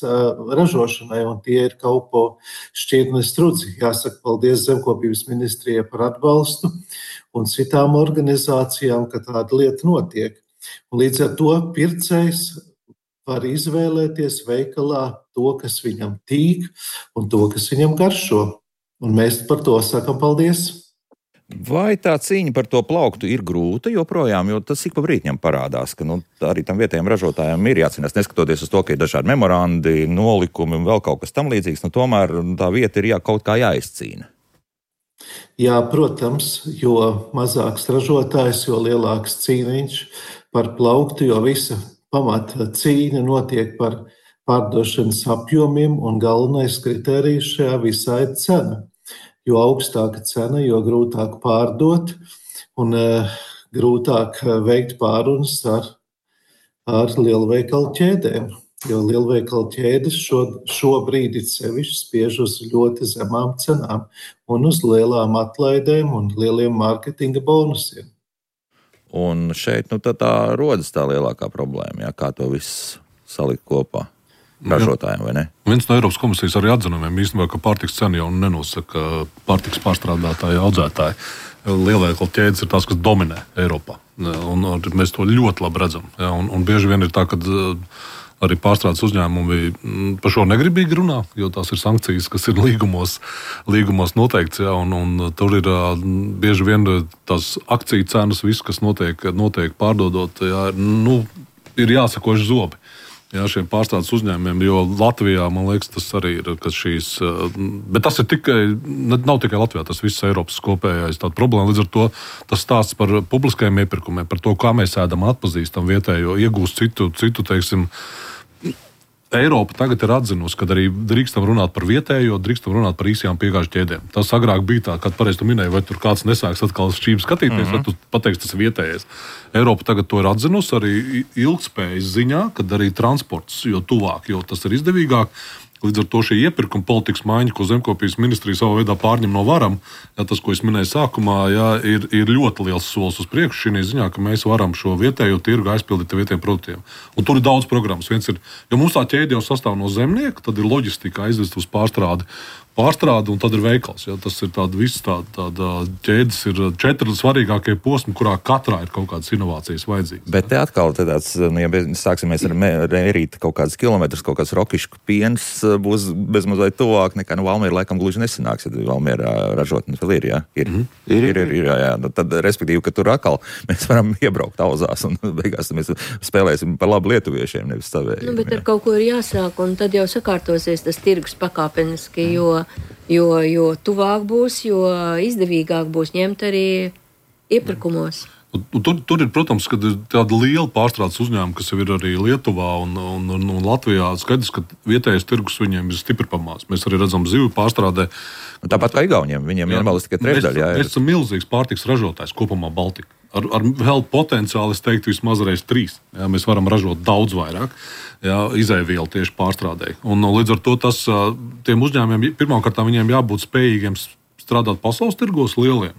ražošanai, un tie ir Kaupo šķirnes rudzi. Jāsaka paldies Zemkopības ministrijai par atbalstu un citām organizācijām, ka tāda lieta notiek. Un līdz ar to pircējs var izvēlēties veikalā to, kas viņam tīk un to, kas viņam garšo. Un mēs par to sakam paldies. Vai tā cīņa par to plauktu ir grūta joprojām, jo tas ik pa brītņam parādās, ka arī tam vietējiem ražotājiem ir jācīnās, neskatoties uz to, ka ir dažādi memorandi, nolikumi un vēl kaut kas tam līdzīgs, tomēr tā vieta ir kaut kā jāizcīna. Jā, protams, jo mazāks ražotājs, jo lielāks cīniņš par plauktu, jo visa pamata cīņa notiek par pārdošanas apjomiem, un galvenais kritērijs šajā visā ir cena. Jo augstāka cena, jo grūtāk pārdot un grūtāk veikt pārunas ar lielveikalu ķēdēm. Jo lielveikalu ķēdes šobrīd ir sevišķi spiež uz ļoti zemām cenām un uz lielām atlaidēm un lieliem mārketinga bonusiem. Un šeit tā rodas tā lielākā problēma, kā to viss salikt kopā ražotājiem, vai ne? Viens no Eiropas komisijas arī atzinumiem īstenībā, ka pārtiks cena jau nenosaka pārtiks pārstrādātāji, audzētāji. Lielveikalu ķēdes ir tās, kas dominē Eiropā. Un mēs to ļoti labi redzam. Ja? Un bieži vien ir tā, ka arī pārstrādes uzņēmumi par šo negribīgi runā, jo tās ir sankcijas, kas ir līgumos noteikts. Ja? Un tur ir bieži vien tās akciju cenas, viss, kas notiek pārdodot, ja? Ir jāsakoši zobi. Jā, šiem pārstrādes uzņēmumiem, jo Latvijā, man liekas, tas arī ir, ka bet tas ir nav tikai Latvijā, tas viss Eiropas kopējais tāda problēma. Līdz ar to tas stāsts par publiskajiem iepirkumiem, par to, kā mēs ēdam, atpazīstam vietējo, iegūst citu, teiksim, Eiropa tagad ir atzinusi, ka arī drīkstam runāt par vietējo, drīkstam runāt par īsajām piegāžu ķēdēm. Tas agrāk bija tā, kad pareizi tu minēji, vai tur kāds nesāks atkal šķīvi skatīties, vai tu pateiksi, tas ir vietējais. Eiropa tagad to ir atzinusi arī ilgspējas ziņā, kad arī transports, jo tuvāk, jo tas ir izdevīgāk. Līdz ar to šī iepirkuma politikas maiņa, ko Zemkopības ministrija savā veidā pārņem no varam, ja, tas, ko es minēju sākumā, ja, ir ļoti liels solis uz priekšu šī ziņā, ka mēs varam šo vietējo tirgu aizpildīt ar vietējiem produktiem. Un tur ir daudz programmas. Viens ir, jo mums tā ķēde jau sastāv no zemnieka, tad ir loģistika aizvest uz pārstrādi, un tad ir veikals. Ja, tas ir tāda ķēdes, ir 4 svarīgākie posmi, kurā katrā ir kaut kādas inovācijas vajadzīgas. Bet te atkal tāds, ja sāksimies ar mērīt kaut kādas kilometrus, kaut kāds rokišku piens būs bezmazliet tuvāk nekā Valmiera laikam gluži nesanāks, ja Valmiera ražotnes vēl ir, jā? Ir, jā. Tad, respektīvi, ka tur atkal mēs varam iebraukt auzās un beigās mēs spēlēsim par labu lietuviešiem, nevis savējiem. Bet ar kaut ko ir jāsāk, un tad jau sakārtosies tas tirgus pakāpeniski, jo tuvāk būs, jo izdevīgāk būs ņemt arī iepirkumos. Tur ir, protams, kad ir tāda liela pārstrādes uzņēmuma, kas jau ir arī Lietuvā un Latvijā. Skaidrs, ka vietējais tirgus viņiem ir stipri pamāts. Mēs arī redzam zivju pārstrādē. Tāpat kā Igauniem, viņiem vienmēr tikai trešdaļa. Mēs esam milzīgs pārtiks ražotājs kopumā Baltika. Ar vēl potenciāli, es teiktu, vismaz reiz 3. Jā, mēs varam ražot daudz vairāk izēvielu tieši pārstrādē. Un līdz ar to tiem uzņēmumiem pirmkārt viņiem jābūt spējīgiem strādāt pasaules tirgos lieliem,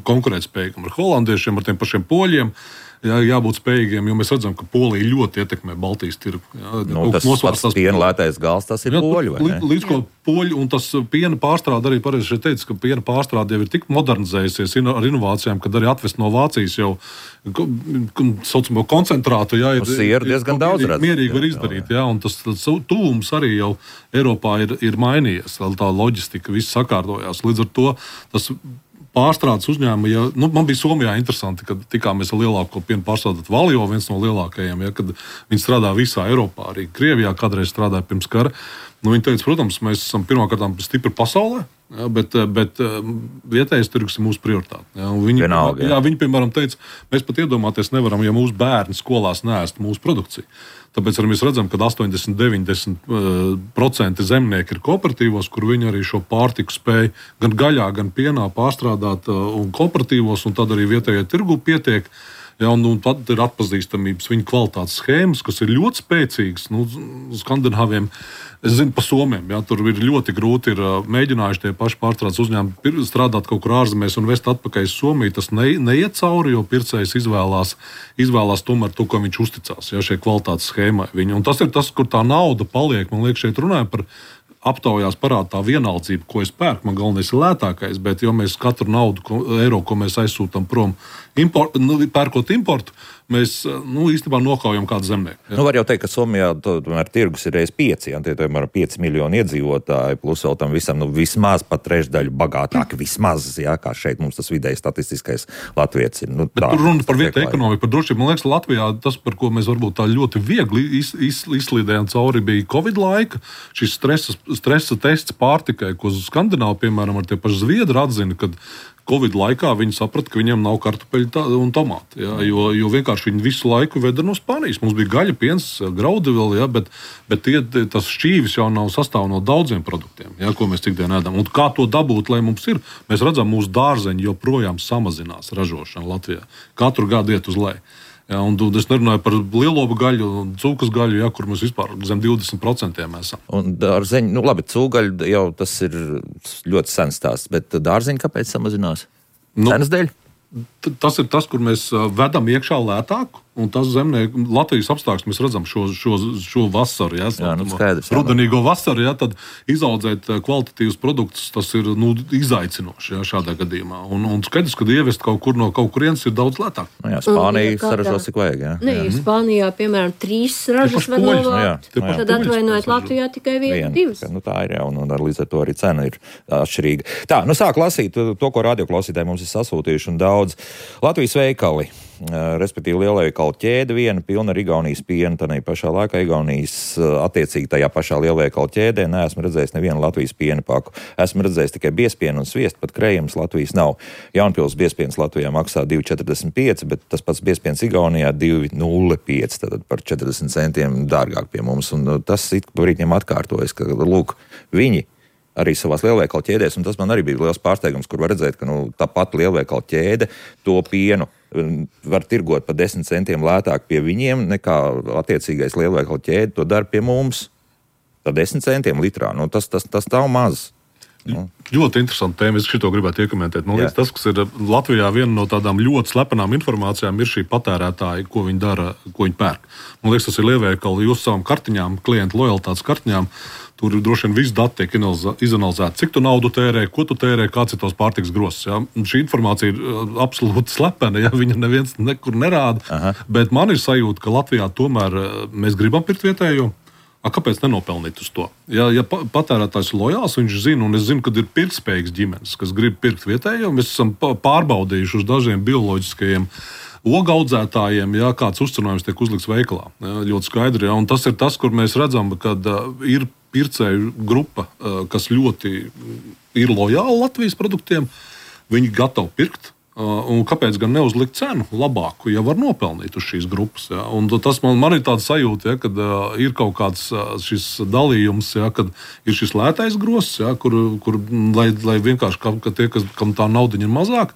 konkurētspējīgiem ar holandiešiem, ar tiem pašiem poļiem. Jābūt spējīgiem, jo mēs redzam, ka Polija ļoti ietekmē Baltijas tirgu. Tas piena lētais gals, tas ir poļu, vai ne? Līdz ko poļu, un tas piena pārstrāde arī pareizi šeit teica, ka piena pārstrāde jau ir tik modernizējusies ar inovācijām, kad arī atvest no Vācijas jau saucamo koncentrātu, ir diezgan daudz redz. Mierīgi var izdarīt, un tas tuvums arī jau Eiropā ir mainījies, tā loģistika viss sakārtojās. Līdz ar to tas pārstrādes uzņēmumi, man bija Somijā interesanti, kad tikāmies ar lielāko piena pārstrādātāju Valjo, viens no lielākajiem, kad viņi strādā visā Eiropā, arī Krievijā kādreiz strādāja pirms kara. Viņi teica, protams, mēs esam pirmkārt stipri pasaulē, bet vietējais tirgus ir mūsu prioritāte. Viņi, piemēram, teica, mēs pat iedomāties nevaram, ja mūsu bērni skolās neēst mūsu produkciju. Tāpēc arī mēs redzam, ka 80–90% zemnieki ir kooperatīvos, kur viņi arī šo pārtiku spēj gan gaļā, gan pienā pārstrādāt un kooperatīvos, un tad arī vietējā tirgu pietiek. Un tad ir atpazīstamības viņa kvalitātes schēmas, kas ir ļoti spēcīgas. Skandināviem, es zinu, pa Somiem, tur ir ļoti grūti mēģinājuši tie paši pārstrādes uzņēmumi strādāt kaut kur ārzemēs un vest atpakaļ uz Somiju. Tas neiet cauri, jo pircējs izvēlās tomēr to, ko viņš uzticās, šai kvalitātes schēmai. Un tas ir tas, kur tā nauda paliek. Man liekas, šeit runājam par aptaujās parāda tā vienaldzība, ko es pērku. Man galvenais ir lētākais, bet jo mēs katru eiro, ko mēs aizsūtam prom, pērkot importu, mēs īstenībā nokaujam kādu zemnieku. Var jau teikt, ka Somijā tomēr tirgus ir reiz 5, tie tomēr 5 miljoni iedzīvotāji, plus vēl tam visam vismaz pat trešdaļu bagātāki, vismaz, kā šeit mums tas vidēji statistiskais latvietis ir. Bet tur runa par vietēju ekonomiku, par drošību. Man liekas, Latvijā tas, par ko mēs varbūt tā ļoti viegli izslīdējām cauri, bija Covid laika, šis stresa tests pārtikai, ko Skandināvi, piemēram, ar tie paši zviedri atzina, kad Covid laikā viņi saprata, ka viņiem nav kartupeļu un tomāti, jo vienkārši viņi visu laiku veda no Spānijas. Mums bija gaļa, piens, graudi vēl, bet tas šķīvis jau nav sastāv no daudziem produktiem, ko mēs ikdienā ēdam. Un kā to dabūt, lai mums ir? Mēs redzam, mūsu dārzeņi joprojām samazinās ražošana Latvijā. Katru gadu iet uz leju. Un es nerunāju par lielopu gaļu un cūkas gaļu, kur mēs vispār zem 20% esam. Un dārzeņi, labi, cūgaļa jau tas ir ļoti sens stāsts, bet dārzeņi kāpēc samazinās? Cenas dēļ? Tas ir tas, kur mēs vedam iekšā lētāku, un tas zemnieku Latvijas apstākļus mēs redzam šo vasaru, rudenīgo vasaru, tad izaudzēt kvalitatīvus produktus, tas ir izaicinoši šādā gadījumā. Un skaidrs, ka ievest kaut kur no kaut kurienes ir daudz lētāk. Spānija saražos cik vajag, Spānijā, piemēram, 3 ražas var novākt, tad atvainojiet Latvijā tikai 1–2. Tā ir, un līdz ar to arī cena ir atšķirīga. Tā, sāk lasīt to, ko radioklausītāji mums ir sasūtījuši, un daudz Latvijas veikali, respektīvi lielveikalu ķēde, viena pilna ar Igaunijas pienu, tādā pašā laikā Igaunijas attiecīgi tajā pašā lielveikalu ķēdē neesmu redzējis nevienu Latvijas piena paku. Esmu redzējis tikai biespienu un sviestu, pat krējums Latvijas nav. Jaunpils biespiens Latvijā maksā 2,45, bet tas pats biespiens Igaunijā 2,05, tātad par 40 centiem dārgāk pie mums. Un tas brīdņiem atkārtojas, ka, lūk, viņi arī savās lielveikalu ķēdēs, un tas man arī bija liels pārsteigums, kur var redzēt, ka tā pati lielveikalu ķēde to pienu var tirgot par 10 centiem lētāk pie viņiem, nekā attiecīgais lielveikalu ķēde to dara pie mums. Par 10 centiem litrā. Tas nav maz. Ļoti interesanti tēma, es šito gribētu iekomentēt. Man liekas, tas, kas ir Latvijā viena no tādām ļoti slepenām informācijām, ir šī patērētāja, ko viņi dara, ko viņi pērk. Man liekas, tas ir lielveikali jūsu savām kartiņām, klientu lojalitātes kartiņām. Tur droši vien viss dati tiek izanalizēti, cik tu naudu tērē, ko tu tērē, kāds ir tos pārtiks grozs. Šī informācija ir absolūti slepena, viņa neviens nekur nerāda. Aha. Bet man ir sajūta, ka Latvijā tomēr mēs gribam pirkt vietējo. Kāpēc nenopelnīt uz to? Ja patērētājs ir lojāls, viņš zina, un es zinu, ka ir pirktspējīgas ģimenes, kas grib pirkt vietējo. Mēs esam pārbaudījuši uz dažiem bioloģiskajiem ogaudzētājiem, kāds uzcenojums tiek uzlikts veikalā. Ļoti skaidri. Un tas ir tas, kur mēs redzam, ka ir pircēju grupa, kas ļoti ir lojāla Latvijas produktiem. Viņi gatavi pirkt. Un kāpēc gan neuzlikt cenu labāku, ja var nopelnīt uz šīs grupas? Ja? Un tas man ir tāds sajūta, ja, kad ir kaut kāds šis dalījums, ja, kad ir šis lētais gross, ja, kur lai vienkārši ka tie, kam tā naudiņa ir mazāk,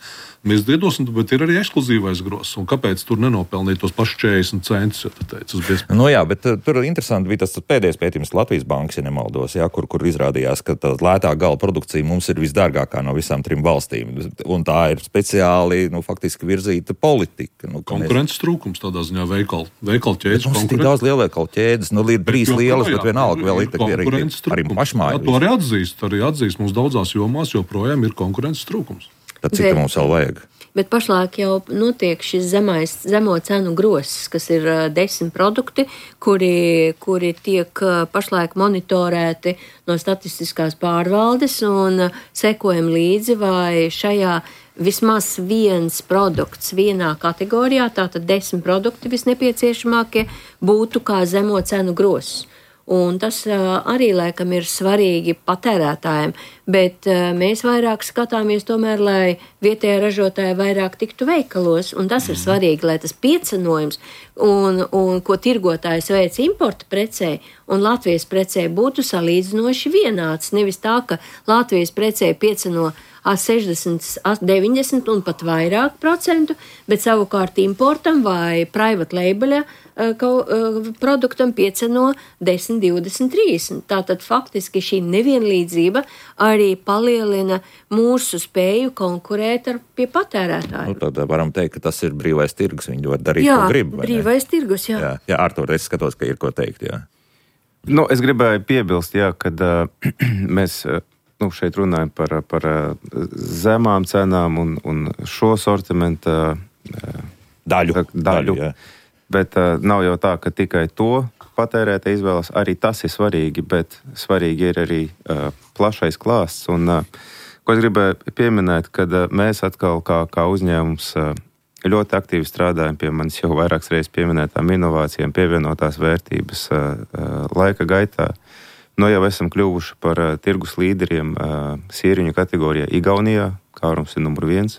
mēs iedosim, bet ir arī ekskluzīvais gross. Un kāpēc tur nenopelnīt tos pašus 40 centus? Jā, bet tur interesanti bija tas pēdējais pētījums Latvijas bankas, ja nemaldos, ja, kur izrādījās, ka tā lētā gala produkcija mums ir visdārgākā no visām 3 valstīm. Un tā ir speciāli, faktiski virzīta politika. Konkurences trūkums tādā ziņā veikalu ķēdes. Mums ir tik daudz lielveikalu ķēdes, ir 3 lielas, bet vienalga vēl ir arī pašmāju. To arī atzīst. Mums daudzās jomās joprojām ir konkurences trūkums. Tad cik mums vēl vajag? Bet pašlaik jau notiek šis zemo cenu gross, kas ir 10 produkti, kuri tiek pašlaik monitorēti no statistiskās pārvaldes un sekojam līdzi, vai šajā vismaz viens produkts vienā kategorijā, tātad 10 produkti visnepieciešamākie, būtu kā zemo cenu gross. Un tas arī, laikam, ir svarīgi patērētājiem, bet mēs vairāk skatāmies tomēr, lai vietējā ražotāja vairāk tiktu veikalos, un tas ir svarīgi, lai tas piecenojums, un ko tirgotājs veic importa precē un Latvijas precē būtu salīdzinoši vienāds. Nevis tā, ka Latvijas precē pieceno 60, 90 un pat vairāk procentu, bet savukārt importam vai private label produktam pieceno 10, 20, 30. Tātad faktiski šī nevienlīdzība arī palielina mūsu spēju konkurēt pie patērētājiem. Tad varam teikt, ka tas ir brīvais tirgus, viņi var darīt, ko grib. Jā, brīvais tirgus, jā. Jā, Artur, es skatos, ka ir ko teikt, jā. Es gribēju piebilst, kad mēs šeit runājam par zemām cenām un šo sortimenta daļu. Bet nav jau tā, ka tikai to patērētāji izvēlas. Arī tas ir svarīgi, bet svarīgi ir arī plašais klāsts. Un, ko es gribēju pieminēt, kad mēs atkal kā uzņēmums ļoti aktīvi strādājam pie manis jau vairākas reizes pieminētām inovācijām, pievienotās vērtības laika gaitā. Jau esam kļuvuši par tirgus līderiem sīriņu kategorijā Igaunijā, kārums ir numur 1.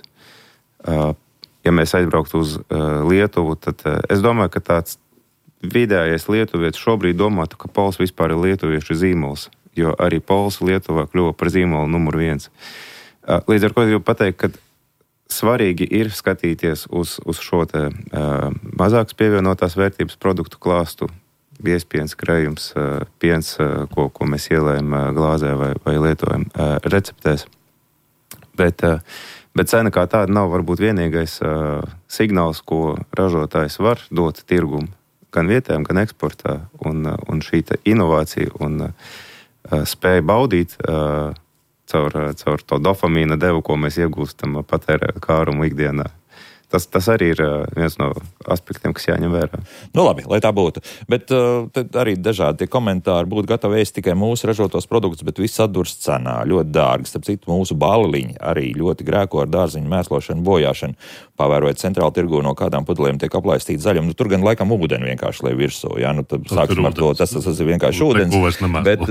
Ja mēs aizbrauktu uz Lietuvu, tad es domāju, ka tāds vidējais lietuvietis šobrīd domātu, ka Pols vispār ir lietuviešu zīmols, jo arī Pols Lietuvā kļuva par zīmolu numur 1. Līdz ar ko es gribu pateikt, ka svarīgi ir skatīties uz šo te mazākas pievienotās vērtības produktu klāstu, biezpiens, krējums, piens, ko mēs ielējam glāzē vai lietojam receptēs. Bet cena kā tāda nav varbūt vienīgais signāls, ko ražotājs var dot tirgumu gan vietējiem, gan eksportā. Un šī inovācija un spēja baudīt caur to dopamīna devu, ko mēs iegūstam patērēt kārumu ikdienā. Tas arī ir viens no aspektiem, kas jāņem vērā. Labi, lai tā būtu. Bet arī dažādi tie komentāri būtu gatavi ēst tikai mūsu ražotos produktus, bet viss atdurs cenā, ļoti dārgi. Starp citu, mūsu bāliņi arī ļoti grēko ar dārziņu mēslošanu, bojāšanu. Pavērojot centrāli tirgu, no kādām pudelēm tiek aplaistīta zaļuma. Tur gan laikam ūdeni vienkārši lai virsū. Ja? Tad sāksim ar to, tas ir vienkārši ūdens. Bet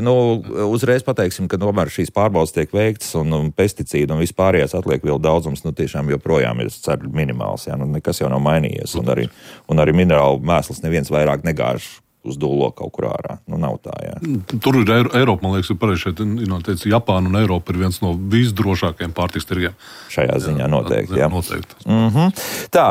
uzreiz pateiksim, ka tomēr šīs pārbaudas tiek veiktas un pesticīdi un vispārējās atliek vēl daudzums, tiešām joprojām ir ceru minimāls. Ja? Nekas jau nav mainījies. Un arī minerālu mēsls neviens vairāk negāž uz dūlo kaut kur ārā. Nav tā, jā. Tur ir Eiropa, man liekas, ir pareizi šeit, teica, Japāna un Eiropa ir viens no visdrošākajiem pārtiks tirgiem. Šajā ziņā noteikti, jā. Noteikti. Tā,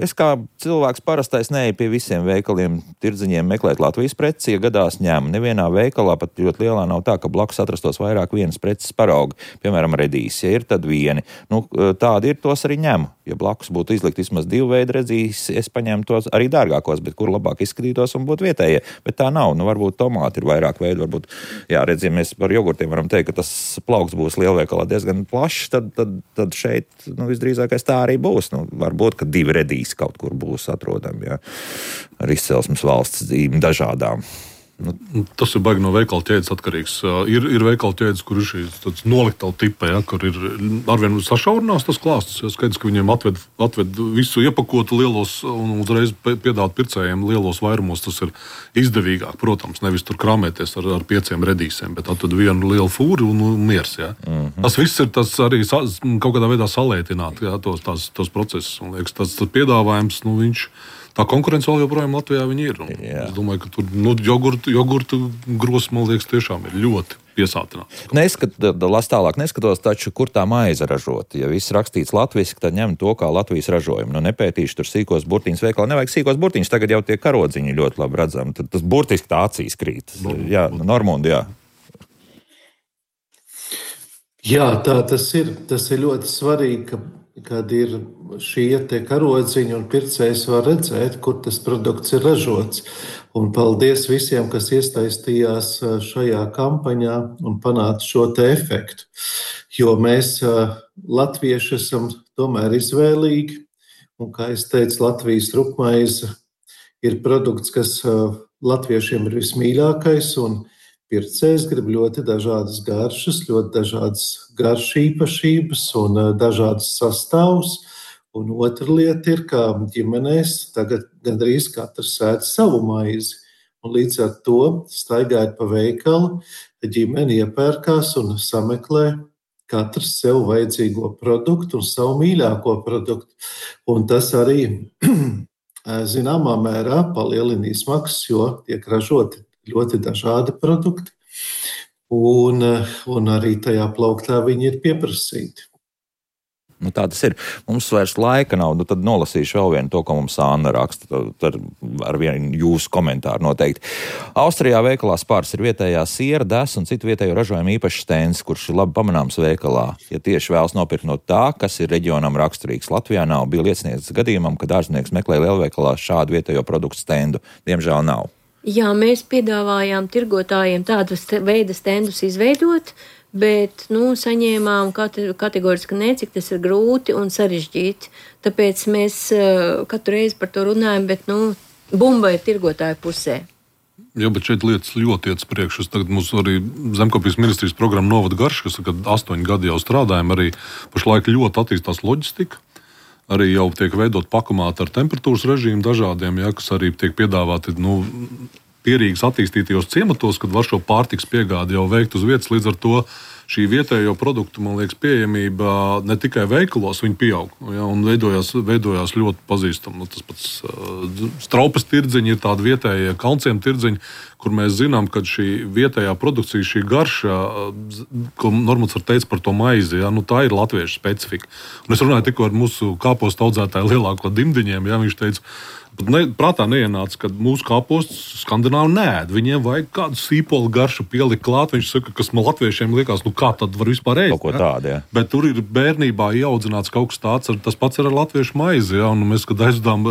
es kā cilvēks parastais neeju pie visiem veikaliem, tirdziņiem meklēt Latvijas preci, ja gadās ņem. Nevienā veikalā, pat ļoti lielā, nav tā, ka blakus atrastos vairāk vienas preces paraugi. Piemēram, redīs, ja ir tad vieni. Tādi ir, tos arī ņem. Ja blakus būtu izlikt vismaz 2 veidu redzīs, es paņēmu tos arī dārgākos, bet kur labāk izskatītos un būtu vietējie. Bet tā nav. Varbūt tomāti ir vairāk veidu, varbūt, jā, redz, ja mēs par jogurtiem varam teikt, ka tas plaukts būs lielveikalā diezgan plašs, tad šeit, visdrīzākais tā arī būs. Varbūt, ka 2 redīs kaut kur būs atrodami, jā, ar izcelsmes valsts zīmi dažādām. Tas ir baigi no veikala ķēdes atkarīgs. Ir veikala ķēdes, kur ir šīs noliktavu tipa, kur ir arvien sašaurinās tas klāsts. Skaidrs, ka viņiem atved visu iepakotu lielos un uzreiz piedāvāt pircējiem lielos vairumos. Tas ir izdevīgāk, protams, nevis tur krāmēties ar 5 redīsiem, bet atved vienu lielu fūri un miers. Ja. Tas viss ir tas arī kaut kādā veidā salētināt, ja, tos procesus. Un liekas, tas piedāvājums, viņš... Tā konkurence vēl joprojām Latvijā ir. Es domāju, ka tur jogurtu gros, man liekas, tiešām ir ļoti piesātināts. Neskatos taču, kur tā maize ražot. Ja viss rakstīts latviski, tad ņem to kā Latvijas ražojumu. Nepētīšu tur sīkos burtiņus veikalā. Nevajag sīkos burtiņus, tagad jau tie karodziņi ļoti labi redzami. Tad tas burtiski tā acīs krīt. Jā, Normundi, jā. Jā, tā tas ir. Tas ir ļoti svarīgi, kad ir šie te karodziņi un pircējs var redzēt, kur tas produkts ir ražots. Un paldies visiem, kas iesaistījās šajā kampaņā un panāca šo te efektu. Jo mēs, latvieši, esam tomēr izvēlīgi. Un, kā es teicu, Latvijas rupmaize ir produkts, kas latviešiem ir vismīļākais, un pircējs grib ļoti dažādas garšas, ļoti dažādas garšu īpašības un dažādas sastāvus. Un otra lieta ir, ka ģimenēs tagad gandrīz katrs ēd savu maizi. Un līdz ar to, staigājot pa veikalu, ģimene iepērkās un sameklē katrs sev vajadzīgo produktu un savu mīļāko produktu. Un tas arī zināmā mērā palielina izmaksas, jo tiek ražoti ļoti dažādi produkti, un arī tajā plauktā viņi ir pieprasīti. Tā tas ir. Mums vairs laika nav, tad nolasīšu vēl vienu to, ko mums Anna raksta, ar vienu jūsu komentāru noteikti. Austrijā veikalā Spārs ir vietējā siera, des un citu vietējo ražojumu īpašs stends, kurš ir labi pamanāms veikalā. Ja tieši vēlas nopirkt no tā, kas ir reģionam raksturīgs, Latvijā nav, bija liecinieks gadījumam, kad ārzemnieks meklē lielveikalā šādu vietējo produktu stendu. Diemžēl nav. Jā, mēs piedāvājām tirgotājiem tādu veidu stendus izveidot, bet saņēmām kategoriski ne, cik tas ir grūti un sarežģīti. Tāpēc mēs katru reizi par to runājam, bet bumba ir tirgotāja pusē. Jā, bet šeit lietas ļoti iet priekš. Tagad mums arī Zemkopības ministrijas programma Novada garša, kas 8 gadi jau strādājam, arī pašlaik ļoti attīstās loģistika. Arī jau tiek veidot pakomāti ar temperatūras režīmu dažādiem, kas arī tiek piedāvāti pierīgas attīstītajos ciematos, kad var šo pārtikas piegādi jau veikt uz vietas. Līdz ar to šī vietējo produktu, man liekas, pieejamība ne tikai veikalos, viņi pieaug. Ja, un veidojās ļoti pazīstami. Tas pats Straupes tirdziņi ir tādi vietējie Kalnciem tirdziņi, kur mēs zinām, ka šī vietējā produkcija, šī garša, ko Normons var teikt par to maizi, tā ir latviešu specifika. Un es runāju tikko ar mūsu kāpostu audzētāju lielāko Dimdiņiem, viņš teica, prātā neienāca, ka mūsu kāpostus skandināvi neēd. Viņiem vajag kādu sīpolu garšu pielikt klāt. Viņš saka, kas man latviešiem liekas, kā tad var vispār ēst. Kaut ko tādu, jā. Bet tur ir bērnībā ieaudzināts kaut kas tāds, tas pats ir ar latviešu maizi. Ja? Un mēs, kad aizdām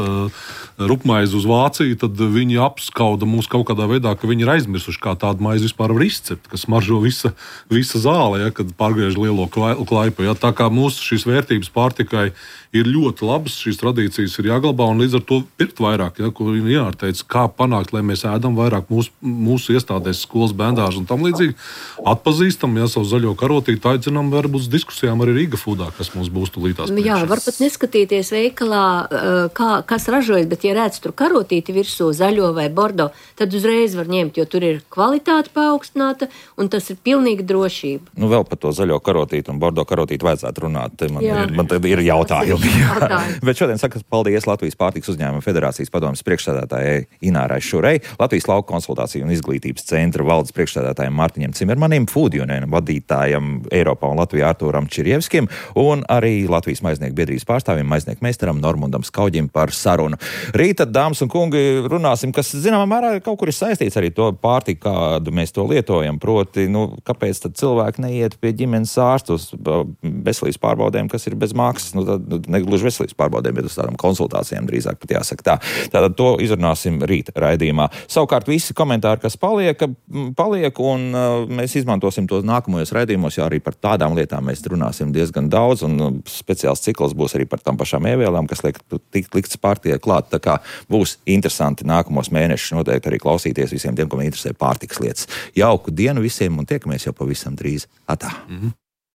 rupmaizi uz Vāciju, tad viņi apskauda mūs kaut kādā veidā, ka viņi ir aizmirsuši, kā tādu maizi vispār var izcept, kas smaržo visa zāle, ja? Kad pārgriež lielo klaipu. Ja? Tā kā mūsu šīs vērtības pārtikai ir ļoti labas, šīs tradīcijas ir jāglabā, un līdz ar to pirkt vairāk, ko viņi jāteica, kā panākt, lai mēs ēdam vairāk mūsu iestādēs, skolas, bērndārs un tam līdzīgi. Atpazīstam, savu zaļo karotīti, aicinām varbūt uz diskusijām arī Rīga Foodā, kas mums būs tulītās priekšā. Jā, var pat neskatīties veikalā, kas ražojas, bet ja redz tur karotīti virsū zaļo vai bordo, tad uzreiz var ņemt, jo tur ir kvalitāte paaugstināta, un tas ir pilnīgi drošība. Vēl par to zaļo karotīti un bordo karotīti vajadzētu runāt. Man ir jautājumi. Bet šodien saka paldies Latvijas pārtikas uzņēmuma federācijas padomes priekšsēdētājai Inārai Šurei, Latvijas lauku konsultāciju un izglītības centra valdes priekšsēdētājiem Mārtiņam Cimermanim, Food Union vadītājam Eiropā un Latvijā Artūram Čirjevskim un arī Latvijas maiznieku biedrības pārstāvim maiznieku meistaram Normundam Skauģim par sarunu. Rīta, dāmas un kungi, runāsim, kas zināmā mērā kaut kur ir saistīts arī to pārtiku, kādu mēs to lietojam. Proti, kāpēc tad cilvēki neiet pie ģimenes ārsta uz veselības pārbaudēm, kas ir bez maksas? Tad negluži veselības pārbaudēm, bet uz tādām konsultācijām drīzāk pat jāsaka tā. tā. Tātad to izrunāsim rīt raidījumā. Savukārt visi komentāri, kas paliek, un mēs izmantosim tos nākamajos raidījumos, jo arī par tādām lietām mēs runāsim diezgan daudz, un speciāls cikls būs arī par tām pašām ievēlēm, kas likts partijai klāt. Tā kā būs interesanti nākamos mēnešus noteikti arī klausīties visiem tiem, ko interesē pārtikas lietas. Jauku dienu visiem un tiekamies jau pavisam drīz. Atā!